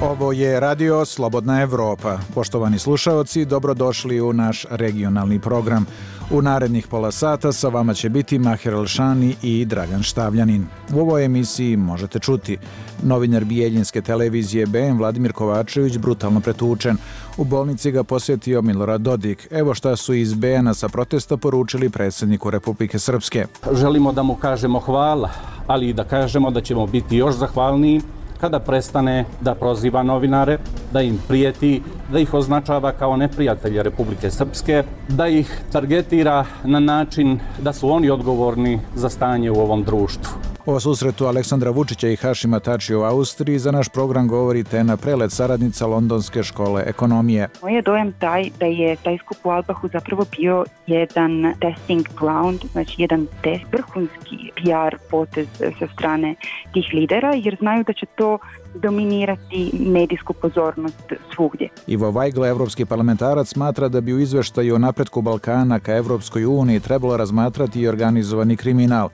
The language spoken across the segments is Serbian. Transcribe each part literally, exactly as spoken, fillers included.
Ovo je Radio Slobodna Evropa. Poštovani slušaoci, dobrodošli u naš regionalni program. U narednih pola sata sa vama će biti Maher Elšani i Dragan Štavljanin. U ovoj emisiji možete čuti: novinar Bijeljinske televizije B N Vladimir Kovačević brutalno pretučen. U bolnici ga posjetio Milorad Dodik. Evo šta su iz B N-a sa protesta poručili predsjedniku Republike Srpske. Želimo da mu kažemo hvala, ali i da kažemo da ćemo biti još zahvalniji kada prestane da proziva novinare, da im prijeti, da ih označava kao neprijatelje Republike Srpske, da ih targetira na način da su oni odgovorni za stanje u ovom društvu. O susretu Aleksandra Vučića i Hašima Tačija u Austriji za naš program govori Tena Prelet, saradnica Londonske škole ekonomije. Moj je dojam taj da je taj skup u Albahu zapravo bio jedan testing ground, znači jedan test, vrhunski P R potez sa strane tih lidera, jer znaju da će to dominirati medijsku pozornost svugdje. Ivo Vajgla, evropski parlamentarac, smatra da bi u izveštaju o napretku Balkana ka Evropskoj uniji trebalo razmatrati i organizovani kriminal.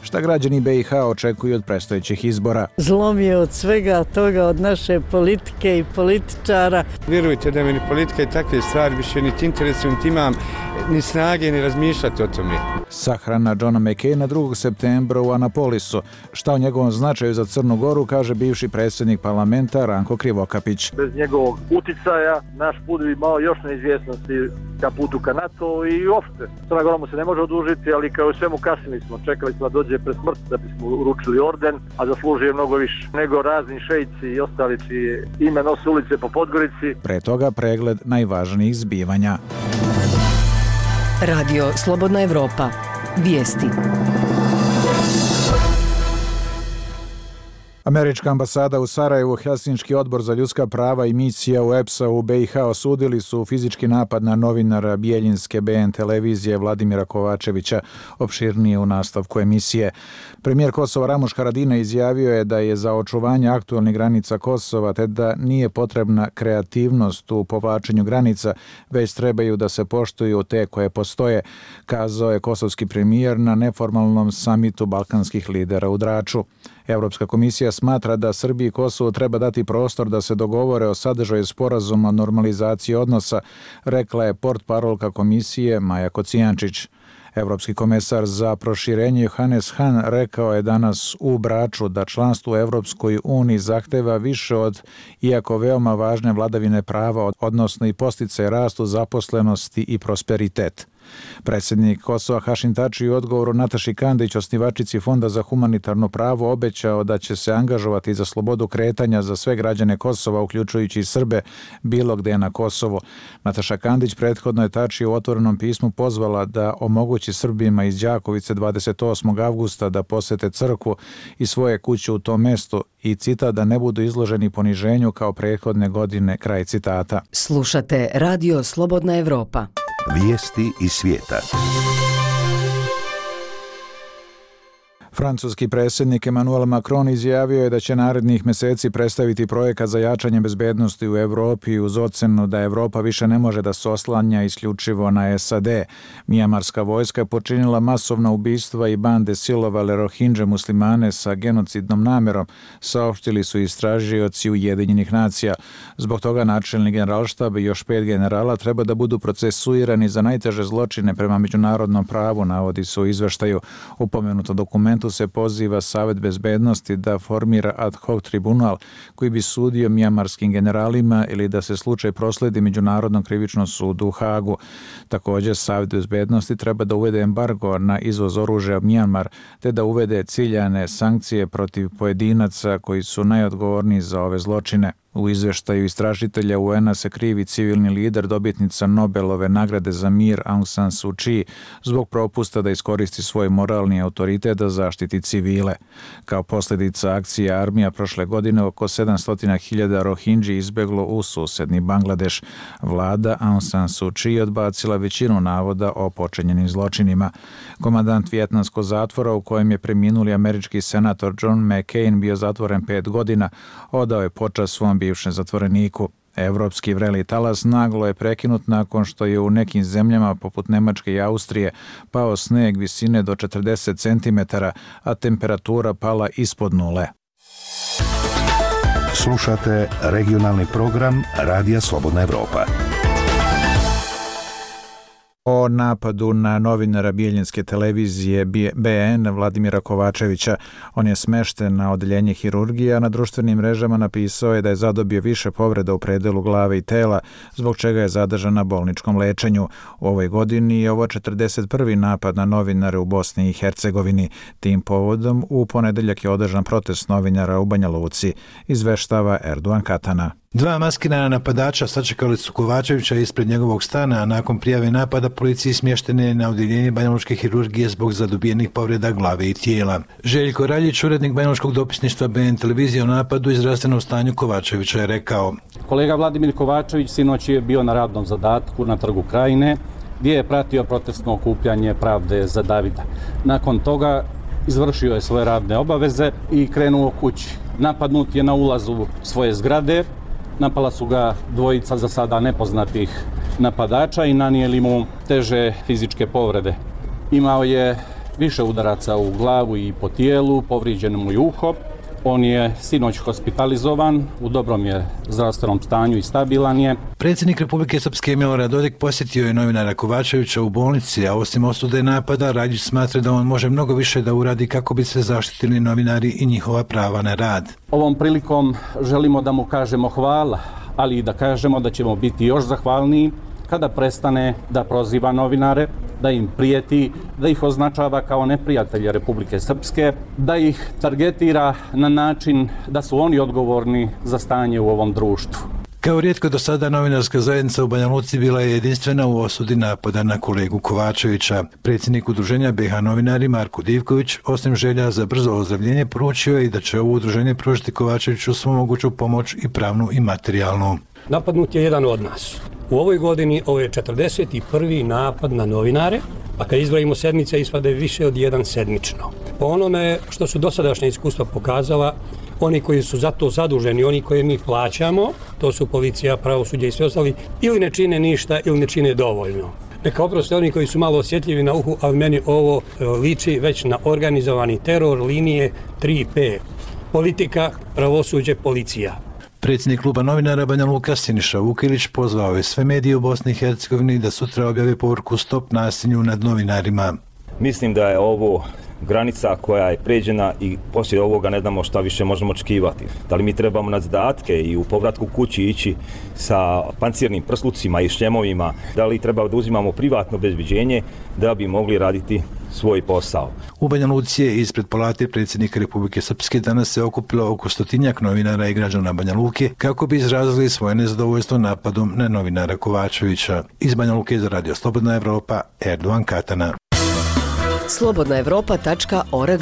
Šta građani B i H očekuju od predstojećih izbora? Zlom je od svega toga, od naše politike i političara. Vjerujte da me ni politika i takve stvari više niti interesuju, niti imam ni snage ni razmišljati o tome. Sahrana Johna McCaina drugog septembra u Anapolisu. Šta o njegovom značaju za Crnu Goru kaže bivši predsjednik parlamenta Ranko Krivokapić. Bez njegovog uticaja naš put bi imao još neizvjesnosti ka putu ka NATO i uopšte. Crna Gora mu se ne može odužiti, ali kao i svemu kasnili smo. Čekali smo da dođe pre smrti da bismo uručili orden, a zaslužuje mnogo više nego razni šejci i ostali čije ime nose ulice po Podgorici. Pre toga pregled najvažnijih zbivanja. Radio Slobodna Evropa. Vijesti. Američka ambasada u Sarajevu, Helsinški odbor za ljudska prava i misija u E P S-a u B i H osudili su fizički napad na novinara Bijeljinske B N televizije Vladimira Kovačevića, opširnije u nastavku emisije. Premijer Kosova Ramuš Haradinaj izjavio je da je za očuvanje aktualnih granica Kosova te da nije potrebna kreativnost u povlačenju granica, već trebaju da se poštuju te koje postoje, kazao je kosovski premijer na neformalnom samitu balkanskih lidera u Draču. Evropska komisija smatra da Srbiji i Kosovu treba dati prostor da se dogovore o sadržaju sporazuma o normalizaciji odnosa, rekla je portparolka komisije Maja Kocijančić. Evropski komesar za proširenje Johannes Hahn rekao je danas u Braču da članstvo u Evropskoj uniji zahteva više od, iako veoma važne, vladavine prava, odnosno i podsticaje rastu, zaposlenosti i prosperitet. Predsjednik Kosova Hašim Tači u odgovoru Nataši Kandić, osnivačici Fonda za humanitarno pravo, obećao da će se angažovati za slobodu kretanja za sve građane Kosova, uključujući i Srbe, bilo gde na Kosovo. Nataša Kandić prethodno je Tači u otvorenom pismu pozvala da omogući Srbima iz Đakovice dvadeset osmog avgusta da posete crkvu i svoje kuće u tom mestu i cita da ne budu izloženi poniženju kao prethodne godine, kraj citata. Slušate Radio Slobodna Evropa. Vijesti iz svijeta. Francuski predsjednik Emmanuel Macron izjavio je da će narednih mjeseci predstaviti projekat za jačanje bezbednosti u Evropi uz ocenu da Evropa više ne može da se oslanja isključivo na S A D. Mijanmarska vojska je počinila masovna ubistva i bande silovale Rohingje muslimane sa genocidnom namjerom, saopštili su istražioci Ujedinjenih nacija. Zbog toga načelnik generalštaba i još pet generala treba da budu procesuirani za najteže zločine prema međunarodnom pravu, navodi se u izveštaju. U pomenutom dokumentu se poziva Savet bezbednosti da formira ad hoc tribunal koji bi sudio mijamarskim generalima ili da se slučaj prosledi Međunarodnom krivičnom sudu u Hagu. Također, Savet bezbednosti treba da uvede embargo na izvoz oružja u Mijanmar te da uvede ciljane sankcije protiv pojedinaca koji su najodgovorniji za ove zločine. U izveštaju istražitelja U N-a se krivi civilni lider, dobitnica Nobelove nagrade za mir Aung San Suu Kyi zbog propusta da iskoristi svoj moralni autoritet da zaštiti civile. Kao posljedica akcije armija prošle godine oko sedamsto hiljada Rohingji izbeglo u susedni Bangladeš. Vlada Aung San Suu Kyi odbacila većinu navoda o počinjenim zločinima. Komandant vijetnamskog zatvora u kojem je preminuli američki senator John McCain bio zatvoren pet godina, odao je počast svom bivšem zatvoreniku. Evropski vreli talas naglo je prekinut nakon što je u nekim zemljama poput Nemačke i Austrije pao sneg visine do četrdeset centimetara, a temperatura pala ispod nule. Slušate regionalni program Radija Slobodna Evropa. O napadu na novinara Bijeljinske televizije B N Vladimira Kovačevića. On je smešten na odeljenje hirurgije, a na društvenim mrežama napisao je da je zadobio više povreda u predelu glave i tela, zbog čega je zadržan na bolničkom lečenju. U ovoj godini je ovo četrdeset prvi napad na novinare u Bosni i Hercegovini. Tim povodom u ponedeljak je održan protest novinara u Banja Luci, izveštava Erdogan Katana. Dva maskirana napadača sačekali su Kovačevića ispred njegovog stana, a nakon prijave napada policiji smještene je na odjeljenje banjalučke hirurgije zbog zadobijenih povreda glave i tijela. Željko Raljić, urednik banjalučkog dopisništva B N televizije o napadu i zdravstvenom stanju Kovačevića, je rekao: Kolega Vladimir Kovačević sinoć je bio na radnom zadatku na Trgu Krajine, gdje je pratio protestno okupljanje Pravde za Davida. Nakon toga izvršio je svoje radne obaveze i krenuo kući. Napadnut je na ulazu svoje zgrade. Napala su ga dvojica za sada nepoznatih napadača i nanijeli mu teže fizičke povrede. Imao je više udaraca u glavu i po tijelu, povrijeđeno mu je uho. On je sinoć hospitalizovan, u dobrom je zdravstvenom stanju i stabilan je. Predsjednik Republike Srpske Milorad Dodik posjetio je novinara Kovačevića u bolnici, a osim osude napada, Radić smatra da on može mnogo više da uradi kako bi se zaštitili novinari i njihova prava na rad. Ovom prilikom želimo da mu kažemo hvala, ali i da kažemo da ćemo biti još zahvalniji kada prestane da proziva novinare, da im prijeti, da ih označava kao neprijatelje Republike Srpske, da ih targetira na način da su oni odgovorni za stanje u ovom društvu. Kao rijetko do sada, novinarska zajednica u Banja Luci bila je jedinstvena u osudi napada na kolegu Kovačevića. Predsjednik udruženja B H novinari Marko Divković, osim želja za brzo ozdravljenje, poručio je i da će ovo udruženje pružiti Kovačeviću svu moguću pomoć i pravnu i materijalnu. Napadnut je jedan od nas. U ovoj godini ovo je četrdeset prvi napad na novinare, a kad izbrojimo sedmice ispade više od jedan sedmično. Po onome što su dosadašnja iskustva pokazala, oni koji su za to zaduženi, oni koje mi plaćamo, to su policija, pravosuđe i sve ostali, ili ne čine ništa ili ne čine dovoljno. Neka oproste oni koji su malo osjetljivi na uhu, ali meni ovo liči već na organizovani teror linije tri P. Politika, pravosuđe, policija. Predsjednik kluba novinara Banja Luka Siniša Vukilić pozvao je sve medije u Bosni i Hercegovini da sutra objave poruku Stop nasilju nad novinarima. Mislim da je ovo granica koja je pređena i poslije ovoga ne znamo šta više možemo očekivati. Da li mi trebamo na zadatke i u povratku kući ići sa pancirnim prslucima i šljemovima, da li treba da uzimamo privatno obezbeđenje da bi mogli raditi svoj posao. U Banja Luci je ispred palate predsjednika Republike Srpske danas se okupilo oko stotinjak novinara i građana Banja Luke kako bi izrazili svoje nezadovoljstvo napadom na novinara Kovačevića. Iz Banja Luke za Radio Slobodna Evropa, Erdogan Katana. slobodna evropa tačka org.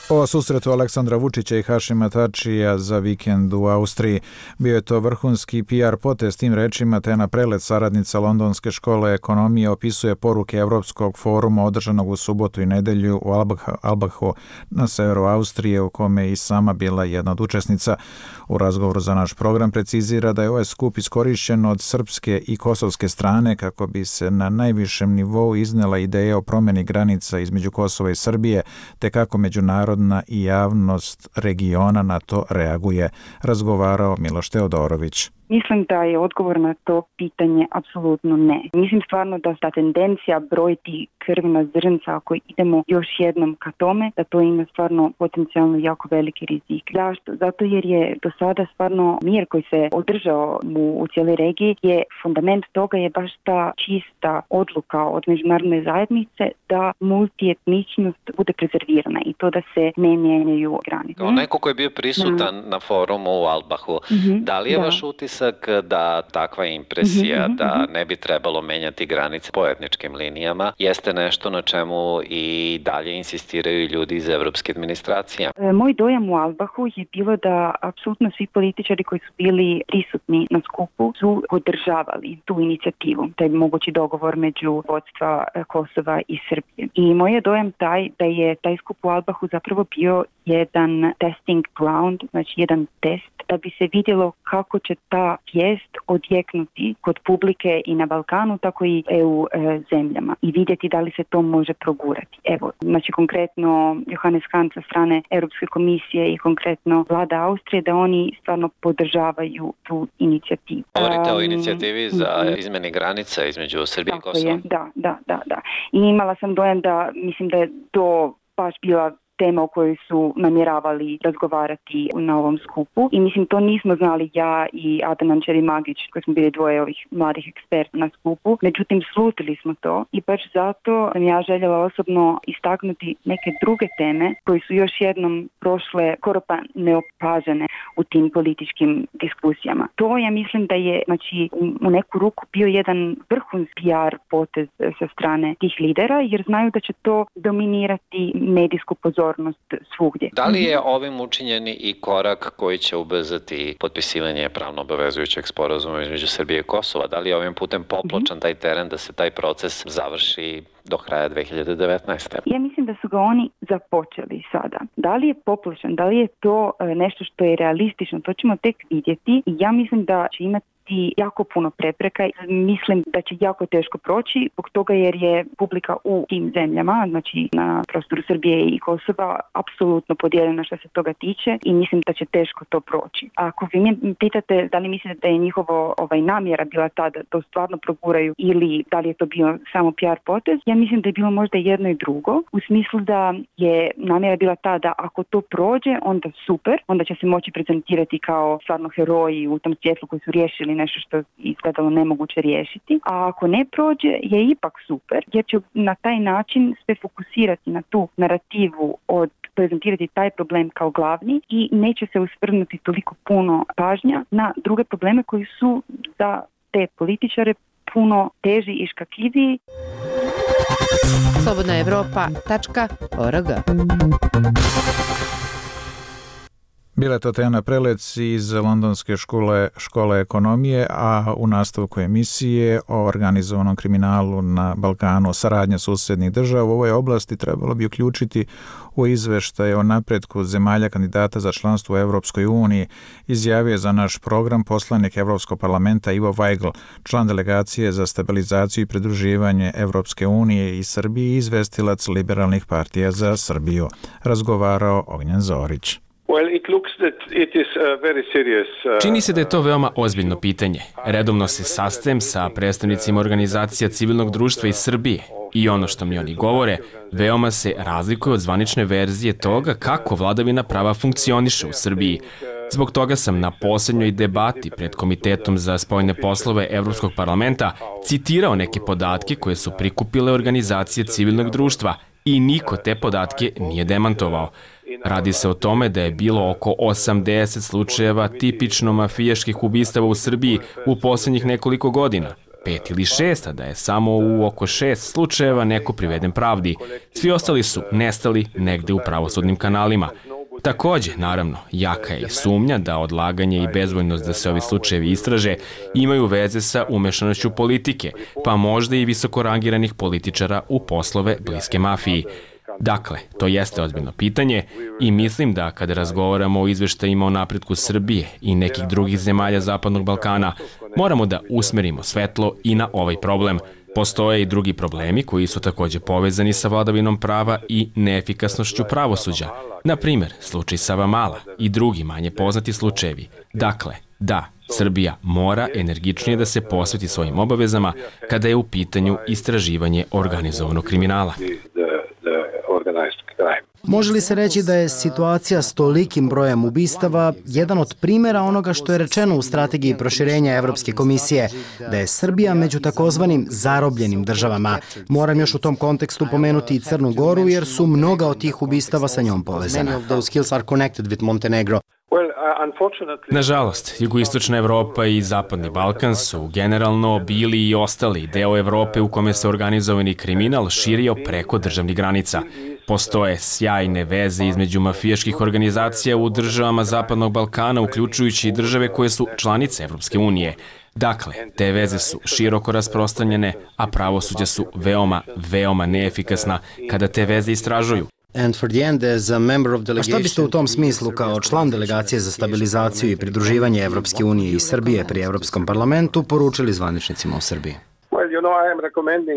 O susretu Aleksandra Vučića i Hašima Tačija za vikend u Austriji. Bio je to vrhunski P R potez, tim rečima te na prelet saradnica Londonske škole ekonomije opisuje poruke Evropskog foruma održanog u subotu i nedelju u Albachu na severu Austrije, u kome je i sama bila jedna od učesnica. U razgovoru za naš program precizira da je ovaj skup iskorišćen od srpske i kosovske strane kako bi se na najvišem nivou iznela ideja o promjeni granica između Kosova i Srbije, te kako međunarodna i javnost regiona na to reaguje, razgovarao Miloš Teodorović. Mislim da je odgovor na to pitanje apsolutno ne. Mislim stvarno da ta tendencija brojiti krvna zrnca, ako idemo još jednom ka tome, da to ima stvarno potencijalno jako veliki rizik. Zašto? Zato jer je do sada stvarno mir koji se održao u, u cijeloj regiji, je fundament toga je baš ta čista odluka od međunarodne zajednice da multietničnost bude prezervirana i to da se ne mijenjaju granice. Kao neko koji je bio prisutan mm. na forumu u Albahu, mm-hmm. da li je da. vaš utisak da takva impresija mm-hmm. da ne bi trebalo menjati granice po etničkim linijama jeste nešto na čemu i dalje insistiraju ljudi iz evropske administracije? E, moj dojam u Albahu je bilo da apsolutno svi političari koji su bili prisutni na skupu su podržavali tu inicijativu, taj mogući dogovor među vodstva Kosova i Srbije. I moj je dojam taj da je taj skup u Albahu zapravo bio jedan testing ground, znači jedan test da bi se vidjelo kako će ta vijest odjeknuti kod publike i na Balkanu, tako i E U e, zemljama i vidjeti da li se to može progurati. Evo, znači konkretno Johannes Hahn sa strane Europske komisije i konkretno vlada Austrije, da oni stvarno podržavaju tu inicijativu. Govorite um, o inicijativi za izmjeni granica između Srbije i Kosova? Je, da, da, da, da. I imala sam dojam da, mislim da je to baš bila tema o kojoj su namjeravali razgovarati na ovom skupu. I mislim, to nismo znali ja i Adnan Čerimagić, koji smo bili dvoje ovih mladih eksperta na skupu. Međutim, slutili smo to i baš zato sam ja željela osobno istaknuti neke druge teme koji su još jednom prošle skoro pa neopažene u tim političkim diskusijama. To ja mislim da je, znači, u neku ruku bio jedan vrhunski P R potez sa strane tih lidera, jer znaju da će to dominirati medijsku pozornost svugdje. Da li je ovim učinjeni i korak koji će ubrzati potpisivanje pravno obavezujućeg sporazuma između Srbije i Kosova? Da li je ovim putem popločan taj teren da se taj proces završi do kraja dve hiljade devetnaeste. Ja mislim da su ga oni započeli sada. Da li je popločan, da li je to nešto što je realistično, to ćemo tek vidjeti i ja mislim da će imati jako puno prepreka. Mislim da će jako teško proći zbog toga jer je publika u tim zemljama, znači na prostoru Srbije i Kosova, apsolutno podijeljena što se toga tiče i mislim da će teško to proći. A ako vi mi pitate da li mislite da je njihovo ovaj, namjera bila ta da to stvarno proguraju ili da li je to bio samo P R potez, ja mislim da je bilo možda jedno i drugo, u smislu da je namjera bila ta da ako to prođe, onda super, onda će se moći prezentirati kao stvarno heroji u tom svjetlu koji su riješili nešto što izgledalo nemoguće riješiti, a ako ne prođe je ipak super, jer će na taj način sve fokusirati na tu narativu od prezentirati taj problem kao glavni i neće se usvrnuti toliko puno pažnja na druge probleme koji su za te političare puno teži i škakljiviji. slobodna evropa tačka org. Bila je to Tena Prelec iz Londonske škole, škole ekonomije, a u nastavku emisije o organizovanom kriminalu na Balkanu, saradnja susednih država u ovoj oblasti trebalo bi uključiti u izveštaje o napretku zemalja kandidata za članstvo u Evropskoj uniji, izjavio za naš program poslanik Evropskog parlamenta Ivo Vajgl, član delegacije za stabilizaciju i pridruživanje Evropske unije i Srbije i izvestilac liberalnih partija za Srbiju. Razgovarao Ognjen Zorić. Čini se da je to veoma ozbiljno pitanje. Redovno se sastajem sa predstavnicima organizacija civilnog društva iz Srbije i ono što mi oni govore veoma se razlikuje od zvanične verzije toga kako vladavina prava funkcioniše u Srbiji. Zbog toga sam na posljednjoj debati pred Komitetom za spoljne poslove Evropskog parlamenta citirao neke podatke koje su prikupile organizacije civilnog društva i niko te podatke nije demantovao. Radi se o tome da je bilo oko osamdeset slučajeva tipično mafijaških ubistava u Srbiji u posljednjih nekoliko godina. Pet ili šest, a da je samo u oko šest slučajeva neko priveden pravdi. Svi ostali su nestali negde u pravosudnim kanalima. Takođe, naravno, jaka je i sumnja da odlaganje i bezvoljnost da se ovi slučajevi istraže imaju veze sa umešanošću politike, pa možda i visokorangiranih političara u poslove bliske mafiji. Dakle, to jeste ozbiljno pitanje i mislim da kada razgovaramo o izveštajima o napretku Srbije i nekih drugih zemalja Zapadnog Balkana, moramo da usmerimo svetlo i na ovaj problem. Postoje i drugi problemi koji su takođe povezani sa vladavinom prava i neefikasnošću pravosuđa. Na primer, slučaj Savamala i drugi manje poznati slučajevi. Dakle, da, Srbija mora energičnije da se posveti svojim obavezama kada je u pitanju istraživanje organizovanog kriminala. Može li se reći da je situacija s tolikim brojem ubistava jedan od primjera onoga što je rečeno u strategiji proširenja Evropske komisije, da je Srbija među takozvanim zarobljenim državama? Moram još u tom kontekstu pomenuti i Crnu Goru jer su mnoga od tih ubistava sa njom povezana. Nažalost, jugoistočna Evropa i Zapadni Balkan su generalno bili i ostali deo Evrope u kome se organizovani kriminal širio preko državnih granica. Postoje sjajne veze između mafijaških organizacija u državama Zapadnog Balkana, uključujući i države koje su članice Evropske unije. Dakle, te veze su široko rasprostranjene, a pravosuđa su veoma, veoma neefikasna kada te veze istražuju. A šta biste u tom smislu kao član delegacije za stabilizaciju i pridruživanje Evropske unije i Srbije pri Evropskom parlamentu poručili zvaničnicima u Srbiji?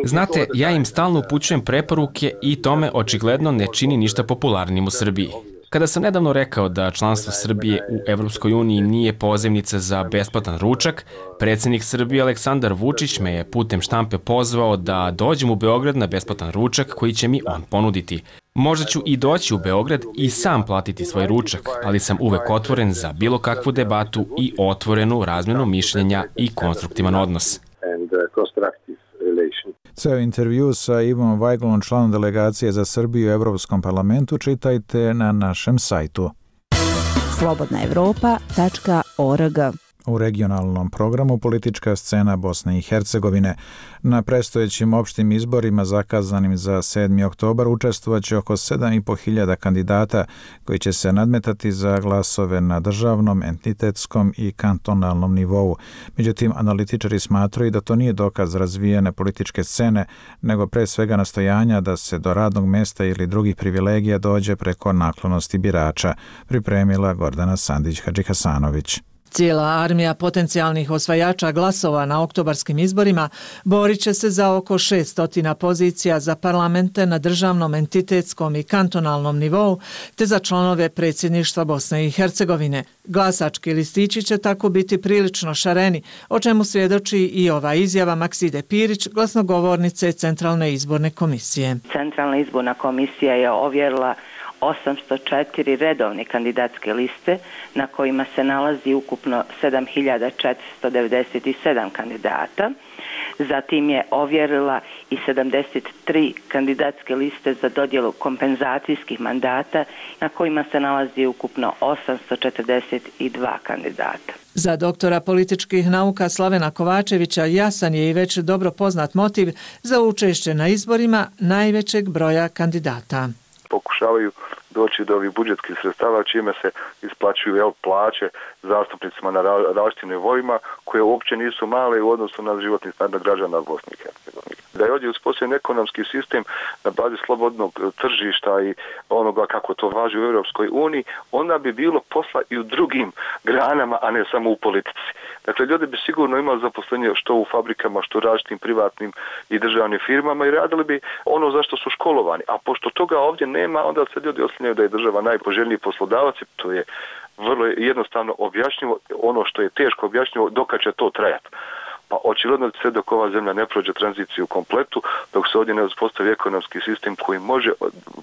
Znate, ja im stalno upućujem preporuke i tome očigledno ne čini ništa popularnim u Srbiji. Kada sam nedavno rekao da članstvo Srbije u Evropskoj uniji nije pozivnica za besplatan ručak, predsjednik Srbije Aleksandar Vučić me je putem štampe pozvao da dođem u Beograd na besplatan ručak koji će mi on ponuditi. Možda ću i doći u Beograd i sam platiti svoj ručak, ali sam uvek otvoren za bilo kakvu debatu i otvorenu razmjenu mišljenja i konstruktivan odnos. Ceo intervju sa Ivom Vajglom, članom delegacije za Srbiju u Evropskom parlamentu, čitajte na našem sajtu. slobodna evropa tačka org. U regionalnom programu politička scena Bosne i Hercegovine. Na predstojećim opštim izborima zakazanim za sedmi oktobar učestvovaće oko sedam i po hiljada kandidata koji će se nadmetati za glasove na državnom, entitetskom i kantonalnom nivou. Međutim, analitičari smatraju da to nije dokaz razvijene političke scene, nego pre svega nastojanja da se do radnog mesta ili drugih privilegija dođe preko naklonosti birača, pripremila Gordana Sandić-Hadžihasanović. Cijela armija potencijalnih osvajača glasova na oktobarskim izborima borit će se za oko šesnaest pozicija za parlamente na državnom, entitetskom i kantonalnom nivou, te za članove predsjedništva Bosne i Hercegovine. Glasački listići će tako biti prilično šareni, o čemu svjedoči i ova izjava Makside Pirić, glasnogovornice Centralne izborne komisije. Centralna izborna komisija je ovjerila osamsto četiri redovne kandidatske liste na kojima se nalazi ukupno sedam hiljada četiristo devedeset sedam kandidata. Zatim je ovjerila i sedamdeset tri kandidatske liste za dodjelu kompenzacijskih mandata na kojima se nalazi ukupno osamsto četrdeset dva kandidata. Za doktora političkih nauka Slavena Kovačevića jasan je i već dobro poznat motiv za učešće na izborima najvećeg broja kandidata. Pokušavaju doći do ovih budžetskih sredstava čime se isplaćuju jel, plaće zastupnicima na različitim nivoima koje uopće nisu male u odnosu na životni standard građana Bosne i Hercegovine. Da je ovdje uspostavljen ekonomski sistem na bazi slobodnog tržišta i onoga kako to važi u Europskoj uniji, onda bi bilo posla i u drugim granama, a ne samo u politici. Dakle, ljudi bi sigurno imali zaposlenje što u fabrikama, što u različitim privatnim i državnim firmama i radili bi ono za što su školovani. A pošto toga ovdje nema, onda se ljudi oslanjaju da je država najpoželjniji poslodavac, to je vrlo jednostavno objašnjivo, ono što je teško objašnjivo, dokad će to trajati. Pa očigledno sve dok ova zemlja ne prođe tranziciju kompletu, dok se ovdje ne uspostavi ekonomski sistem koji može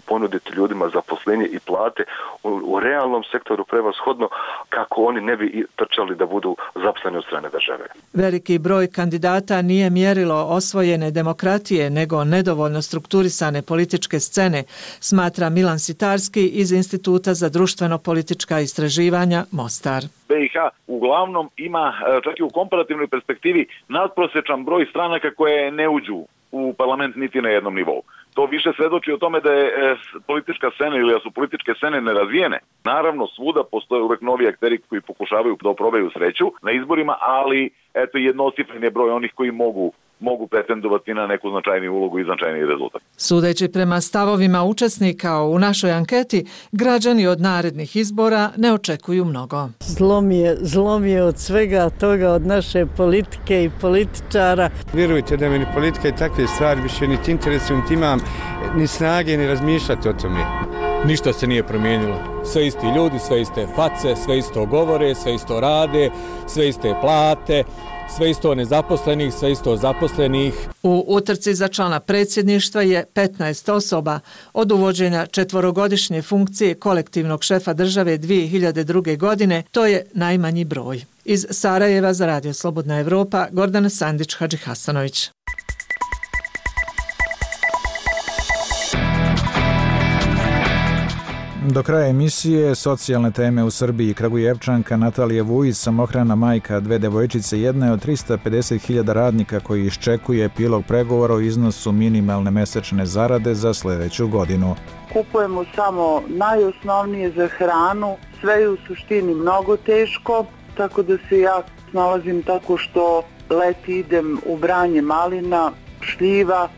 ponuditi ljudima zaposlenje i plate u, u realnom sektoru prevashodno kako oni ne bi trčali da budu zaposleni od strane države. Veliki broj kandidata nije mjerilo osvojene demokratije, nego nedovoljno strukturisane političke scene, smatra Milan Sitarski iz Instituta za društveno-politička istraživanja Mostar. B i H uglavnom ima, čak i u komparativnoj perspektivi, nadprosječan broj stranaka koje ne uđu u parlament niti na jednom nivou. To više svedoči o tome da je politička scena ili da su političke scene nerazvijene. Naravno, svuda postoje uvek novi akteri koji pokušavaju da oprobaju sreću na izborima, ali eto jednocifren je broj onih koji mogu mogu pretendovati na neku značajniju ulogu i značajniji rezultat. Sudeći prema stavovima učesnika u našoj anketi, građani od narednih izbora ne očekuju mnogo. Zlo mi je, zlo mi je od svega toga, od naše politike i političara. Vjerujte da me ni politika i takve stvari više niti interesuju, niti imam ni snage ni razmišljati o tome. Ništa se nije promijenilo. Sve isti ljudi, sve iste face, sve isto govore, sve isto rade, sve iste plate, sve isto nezaposlenih, sve isto zaposlenih. U utrci za člana predsjedništva je petnaest osoba. Od uvođenja četvorogodišnje funkcije kolektivnog šefa države dvije hiljade druge. godine, to je najmanji broj. Iz Sarajeva za Radio Slobodna Evropa, Gordana Sandić-Hadžihasanović. Do kraja emisije socijalne teme u Srbiji. Kragujevčanka Natalija Vujić, samohrana majka dve devojčice, jedna je od trista pedeset hiljada radnika koji iščekuje epilog pregovora o iznosu minimalne mesečne zarade za sljedeću godinu. Kupujemo samo najosnovnije za hranu, sve je u suštini mnogo teško, tako da se ja snalazim tako što leti idem u branje malina, šljiva.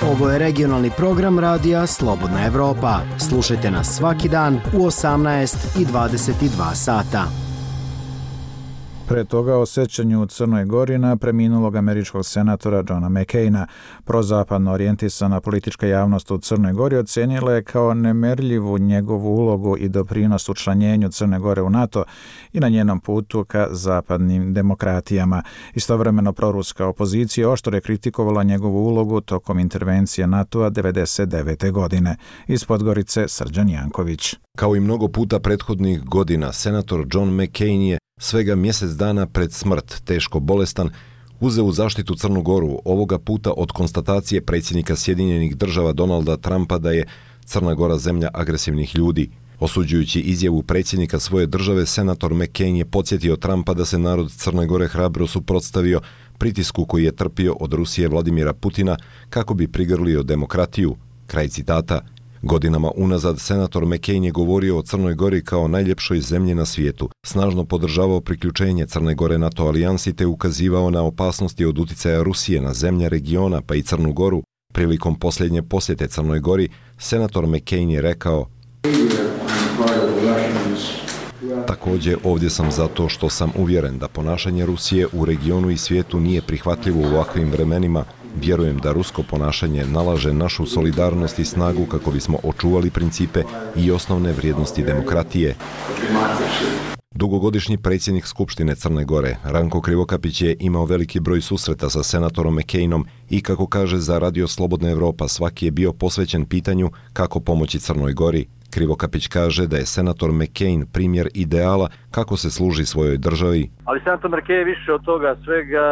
Ovo je regionalni program radija Slobodna Evropa. Slušajte nas svaki dan u osamnaest i dvadeset dva sata. Pre toga o sećanju u Crnoj Gori na preminulog američkog senatora Johna McCaina. Prozapadno orijentisana politička javnost u Crnoj Gori ocenila je kao nemerljivu njegovu ulogu i doprinos učlanjenju Crne Gore u NATO i na njenom putu ka zapadnim demokratijama. Istovremeno proruska opozicija oštro je kritikovala njegovu ulogu tokom intervencije NATO-a devedeset devete. godine. Iz Podgorice Srđan Janković. Kao i mnogo puta prethodnih godina, senator John McCain je svega mjesec dana pred smrt, teško bolestan, uzeo u zaštitu Crnu Goru, ovoga puta od konstatacije predsjednika Sjedinjenih država Donalda Trumpa da je Crna Gora zemlja agresivnih ljudi. Osuđujući izjavu predsjednika svoje države, senator McCain je podsjetio Trumpa da se narod Crne Gore hrabro suprotstavio pritisku koji je trpio od Rusije Vladimira Putina kako bi prigrlio demokratiju. Kraj citata. Godinama unazad senator McCain je govorio o Crnoj Gori kao najljepšoj zemlji na svijetu, snažno podržavao priključenje Crne Gore NATO alijansi te ukazivao na opasnosti od uticaja Rusije na zemlje regiona pa i Crnu Goru. Prilikom posljednje posjete Crnoj Gori, senator McCain je rekao: također ovdje sam zato što sam uvjeren da ponašanje Rusije u regionu i svijetu nije prihvatljivo u ovakvim vremenima. Vjerujem da rusko ponašanje nalaže našu solidarnost i snagu kako bismo očuvali principe i osnovne vrijednosti demokratije. Dugogodišnji predsjednik Skupštine Crne Gore, Ranko Krivokapić, je imao veliki broj susreta sa senatorom McCainom i, kako kaže za Radio Slobodna Evropa, svaki je bio posvećen pitanju kako pomoći Crnoj Gori. Krivokapić kaže da je senator McCain primjer ideala kako se služi svojoj državi. Ali senator McCain je više od toga svega,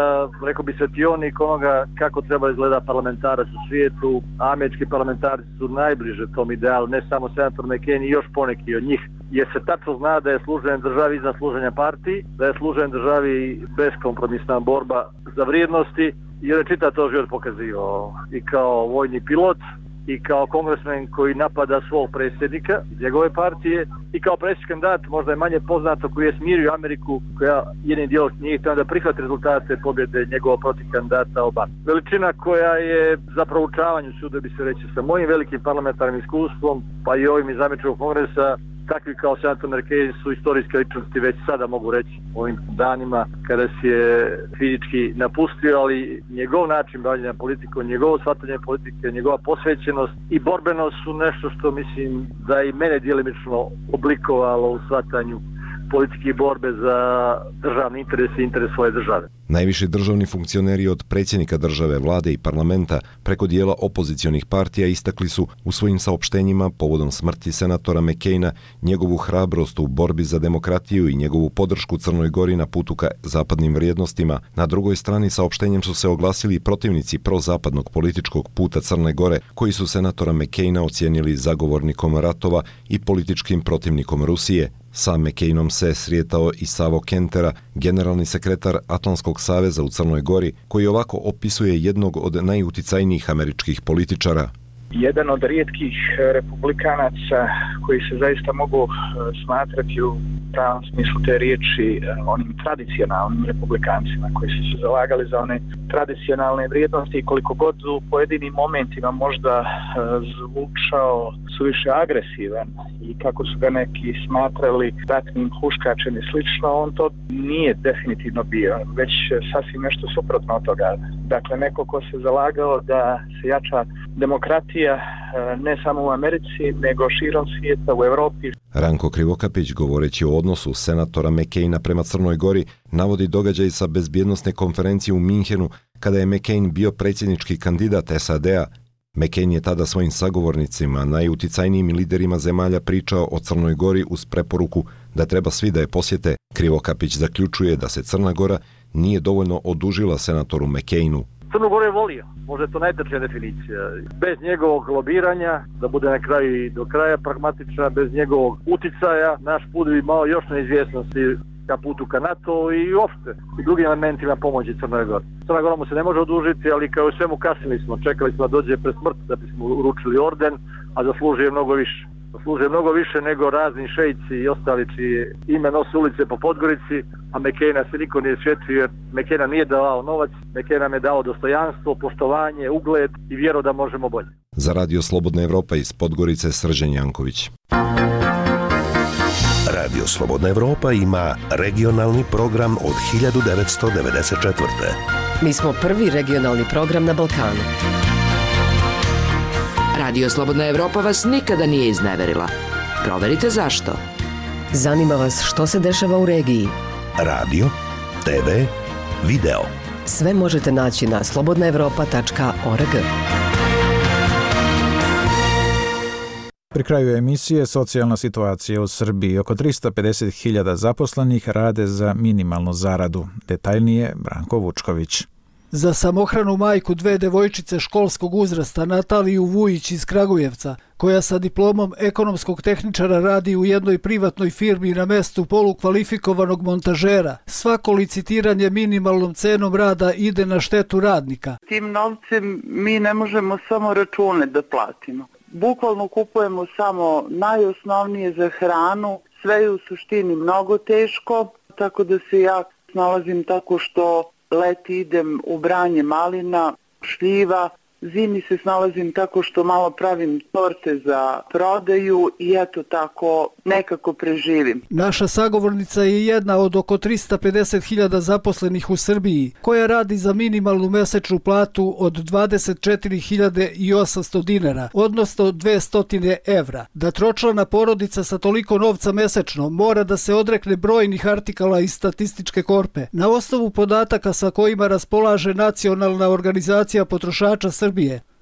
rekao bi, svetionik onoga kako treba izgleda parlamentarac u svijetu. Američki parlamentarci su najbliže tom idealu, ne samo senator McCain i još poneki od njih. Jer se tačno zna da je služenje državi iznad služenja partiji, da je služenje državi beskompromisna borba za vrijednosti, jer je čitav to život pokazivao i kao vojni pilot, i kao kongresmen koji napada svog predsjednika iz njegove partije, i kao predsjednički kandidat, možda je manje poznato, koji je smirio Ameriku, koja jednim dijelom nije htjela da prihvati rezultate pobjede njegovog protiv kandidata Obama. Veličina koja je za proučavanju, sude bi se reći, sa mojim velikim parlamentarnim iskustvom, pa i ovim iz Američkog kongresa, takvi kao senator McCain su istorijske ličnosti, već sada mogu reći, ovim danima kada se je fizički napustio, ali njegov način bavljenja politikom, njegovo shvatanje politike, njegova posvećenost i borbenost su nešto što mislim da i mene djelimično oblikovalo u shvatanju politike i borbe za državni interes i interes svoje države. Najviši državni funkcioneri od predsjednika države, vlade i parlamenta preko dijela opozicionih partija istakli su u svojim saopštenjima povodom smrti senatora McCaina njegovu hrabrost u borbi za demokratiju i njegovu podršku Crnoj Gori na putu ka zapadnim vrijednostima. Na drugoj strani saopštenjem su se oglasili protivnici prozapadnog političkog puta Crne Gore, koji su senatora McCaina ocijenili zagovornikom ratova i političkim protivnikom Rusije. Sa McCainom se srijetao i Savo Kentera, generalni sekretar Atlantskog saveza u Crnoj Gori, koji ovako opisuje jednog od najuticajnijih američkih političara. Jedan od rijetkih republikanaca koji se zaista mogu smatrati u pravom smislu te riječi onim tradicionalnim republikancima koji su se zalagali za one tradicionalne vrijednosti, i koliko god u pojedinim momentima možda zvučao suviše agresivan i kako su ga neki smatrali ratnim huškačem i slično, on to nije definitivno bio, već sasvim nešto suprotno od toga. Dakle, neko ko se zalagao da se jača demokratija ne samo u Americi, nego širom svijeta, u Evropi. Ranko Krivokapić, govoreći o odnosu senatora McCaina prema Crnoj Gori, navodi događaj sa bezbjednosne konferencije u Minhenu kada je McCain bio predsjednički kandidat S A D-a. McCain je tada svojim sagovornicima, najuticajnijim liderima zemalja, pričao o Crnoj Gori uz preporuku da treba svi da je posjete. Krivokapić zaključuje da se Crna Gora nije dovoljno odužila senatoru McCainu. Crnu Goru je volio, možda je to najtrčija definicija. Bez njegovog lobiranja, da bude na kraju i do kraja pragmatična, bez njegovog uticaja, naš put bi imao još neizvjesnosti ka putu ka NATO i uopšte i drugim elementima pomoći Crnoj Gori. Crna Gora mu se ne može odužiti, ali kao i svemu kasnili smo, čekali smo da dođe pred smrt da bismo uručili orden, a zaslužuje mnogo više. služe mnogo više nego razni šejci i ostali čiji ime nose ulice po Podgorici, a McCaina se niko nije sjetio jer McCaina nije dao novac, McCain nam je dao dostojanstvo, poštovanje, ugled i vjeru da možemo bolje. Za Radio Slobodna Evropa iz Podgorice Srđan Janković. Radio Slobodna Evropa ima regionalni program od hiljadu devetsto devedeset četvrte. Mi smo prvi regionalni program na Balkanu. Radio Slobodna Evropa vas nikada nije izneverila. Proverite zašto. Zanima vas što se dešava u regiji. Radio, te ve, video. Sve možete naći na slobodna evropa tačka org. Pri kraju emisije socijalna situacija u Srbiji. Oko tristo pedeset hiljada zaposlenih rade za minimalnu zaradu. Detaljnije Branko Vučković. Za samohranu majku dve devojčice školskog uzrasta Nataliju Vujić iz Kragujevca, koja sa diplomom ekonomskog tehničara radi u jednoj privatnoj firmi na mestu polukvalifikovanog montažera, svako licitiranje minimalnom cenom rada ide na štetu radnika. Tim novcem mi ne možemo samo račune da platimo. Bukvalno kupujemo samo najosnovnije za hranu, sve je u suštini mnogo teško, tako da se ja snalazim tako što leti idem u branje malina, šljiva, zimi se snalazim tako što malo pravim torte za prodaju i eto tako nekako preživim. Naša sagovornica je jedna od oko tristo pedeset hiljada zaposlenih u Srbiji, koja radi za minimalnu mesečnu platu od dvadeset četiri hiljade osamsto dinara, odnosno dvesta evra. Da tročlana porodica sa toliko novca mesečno mora da se odrekne brojnih artikala iz statističke korpe. Na osnovu podataka sa kojima raspolaže Nacionalna organizacija potrošača Srbije,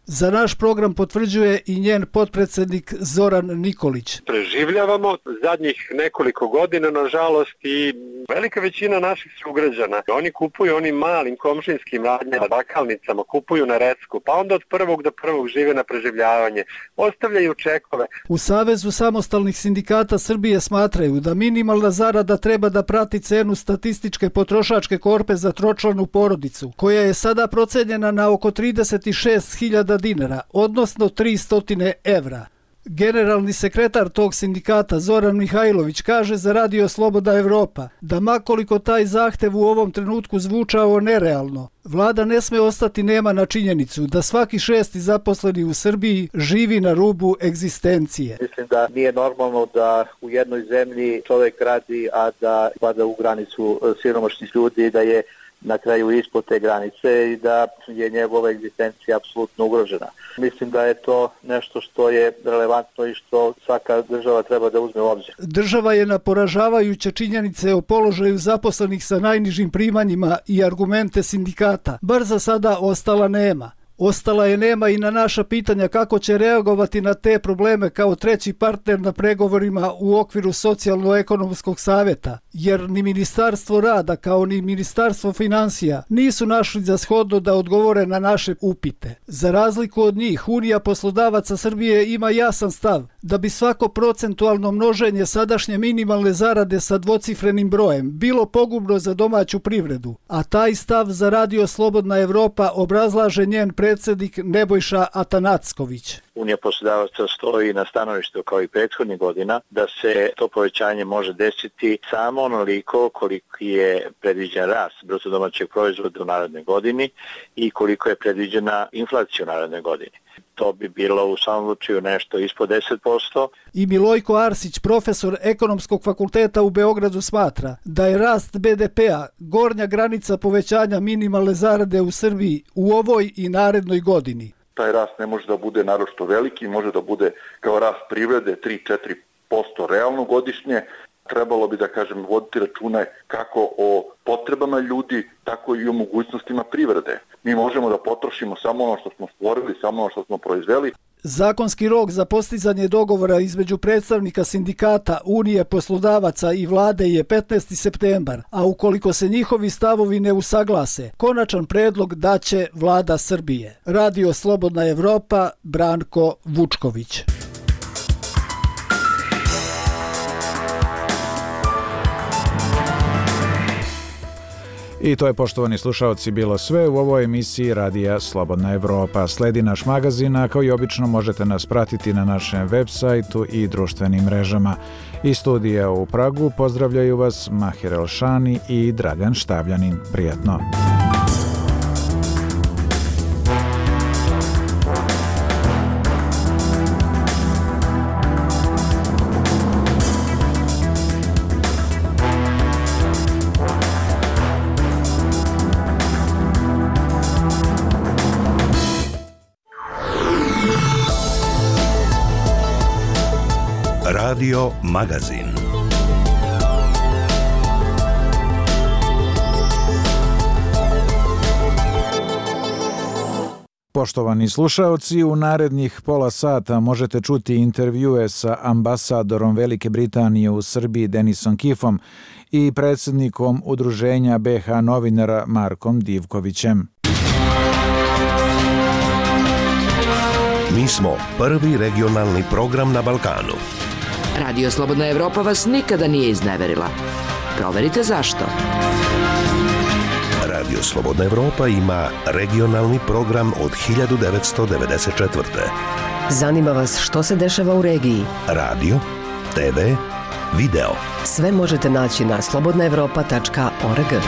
za naš program potvrđuje i njen potpredsednik Zoran Nikolić. Preživljavamo zadnjih nekoliko godina, nažalost, i velika većina naših sugrađana. Oni kupuju onim malim komšinskim radnjama, bakalnicama, kupuju na recku, pa onda od prvog do prvog žive na preživljavanje, ostavljaju čekove. U Savezu samostalnih sindikata Srbije smatraju da minimalna zarada treba da prati cenu statističke potrošačke korpe za tročlanu porodicu, koja je sada procenjena na oko trideset šest hiljada dinara, odnosno tristo evra. Generalni sekretar tog sindikata Zoran Mihajlović kaže za Radio Slobodna Evropa da makoliko taj zahtev u ovom trenutku zvučao nerealno, vlada ne sme ostati nema na činjenicu da svaki šesti zaposleni u Srbiji živi na rubu egzistencije. Mislim da nije normalno da u jednoj zemlji čovjek radi, a da pada u granicu siromašnih ljudi, da je na kraju ispod te granice i da je njegova egzistencija apsolutno ugrožena. Mislim da je to nešto što je relevantno i što svaka država treba da uzme u obzir. Država je na poražavajuće činjenice o položaju zaposlenih sa najnižim primanjima i argumente sindikata bar za sada ostala nema. Ostala je nema i na naša pitanja kako će reagovati na te probleme kao treći partner na pregovorima u okviru Socijalno-ekonomskog savjeta, jer ni Ministarstvo rada kao ni Ministarstvo finansija nisu našli za shodno da odgovore na naše upite. Za razliku od njih, Unija poslodavaca Srbije ima jasan stav da bi svako procentualno množenje sadašnje minimalne zarade sa dvocifrenim brojem bilo pogubno za domaću privredu, a taj stav za Radio Slobodna Evropa obrazlaže njen predsjednik Nebojša Atanacković. Unija poslodavaca stoji na stanovištu kao i prethodnih godina da se to povećanje može desiti samo onoliko koliki je predviđen rast bruto domaćeg proizvoda u narednoj godini i koliko je predviđena inflacija u narednoj godini. To bi bilo u samom slučaju nešto ispod deset posto. I Milojko Arsić, profesor Ekonomskog fakulteta u Beogradu, smatra da je rast be de pea gornja granica povećanja minimalne zarade u Srbiji u ovoj i narednoj godini. Taj rast ne može da bude naročito veliki, može da bude kao rast privrede tri do četiri posto realno godišnje. Trebalo bi, da kažem, voditi račune kako o potrebama ljudi, tako i o mogućnostima privrede. Mi možemo da potrošimo samo ono što smo stvorili, samo ono što smo proizveli. Zakonski rok za postizanje dogovora između predstavnika sindikata, Unije poslodavaca i vlade je petnaesti septembar, a ukoliko se njihovi stavovi ne usaglase, konačan predlog daće vlada Srbije. Radio Slobodna Evropa, Branko Vučković. I to je, poštovani slušaoci, bilo sve u ovoj emisiji Radija Slobodna Evropa. Sledi naš magazin, a kao i obično možete nas pratiti na našem web sajtu i društvenim mrežama. Iz studija u Pragu pozdravljaju vas Mahir Elšani i Dragan Štavljanin. Prijatno! Radio Magazin. Poštovani slušaoci, u narednih pola sata možete čuti intervjue sa ambasadorom Velike Britanije u Srbiji Denisom Kifom i predsjednikom Udruženja be ha novinara Markom Divkovićem. Mi smo prvi regionalni program na Balkanu. Radio Slobodna Evropa vas nikada nije izneverila. Proverite zašto. Radio Slobodna Evropa ima regionalni program od hiljadu devetsto devedeset četvrte. Zanima vas što se dešava u regiji? Radio, te ve, video. Sve možete naći na slobodna evropa tačka org.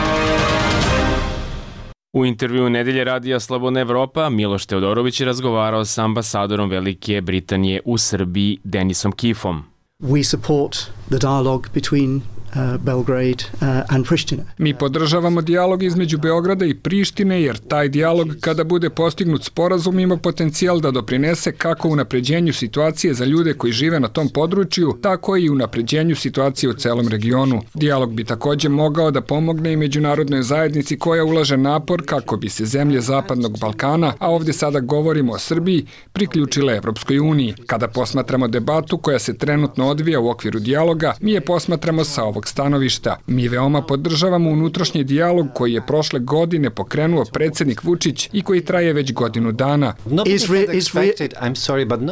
U intervjuu Nedelje radija Slobodna Evropa Miloš Teodorović je razgovarao s ambasadorom Velike Britanije u Srbiji Denisom Kifom. We support the dialogue between uh, Belgrade uh, and Pristina. Mi podržavamo dijalog između Beograda i Prištine jer taj dijalog kada bude postignut sporazum ima potencijal da doprinese kako unapređenju situacije za ljude koji žive na tom području, tako i unapređenju situacije u celom regionu. Dijalog bi također mogao da pomogne i međunarodnoj zajednici koja ulaže napor kako bi se zemlje Zapadnog Balkana, a ovdje sada govorimo o Srbiji, priključile Evropskoj uniji. Kada posmatramo debatu koja se trenutno odvija u okviru dijaloga, mi je posmatramo sa ovog stanovišta. Mi veoma podržavamo unutrašnji dijalog koji je prošle godine pokrenuo predsjednik Vučić i koji traje već godinu dana.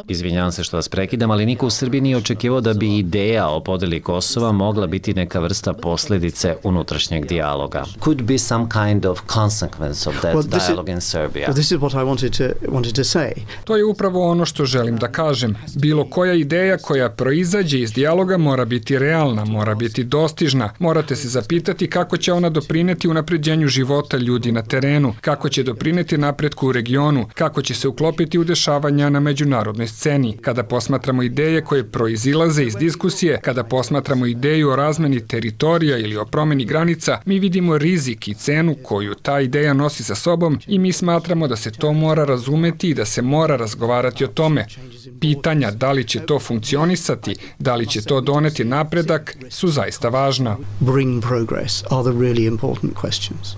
Izvinjavam se što vas prekidam, ali niko u Srbiji nije očekivao da bi ideja o podeli Kosova mogla biti neka vrsta posljedice unutrašnjeg dijaloga. Could be some kind of consequence of that well, dialogue in Serbia. Well, this is what I wanted to, wanted to say. To je upravo ono što želim da kažem. Bilo koja ideja koja proizađe iz dijaloga mora biti realna, mora biti dostižna. Morate se zapitati kako će ona doprineti unapređenju života ljudi na terenu, kako će doprineti napretku u regionu, kako će se uklopiti u dešavanja na međunarodnoj sceni. Kada posmatramo ideje koje proizilaze iz diskusije, kada posmatramo ideju o razmeni teritorija ili o promjeni granica, mi vidimo rizik i cenu koju ta ideja nosi sa sobom i mi smatramo da se to mora razumeti i da se mora razgovarati o tome. Pitanja da li će to funkcionisati, da li će to doneti napredak, su zaista važna. Bring progress are the really important questions.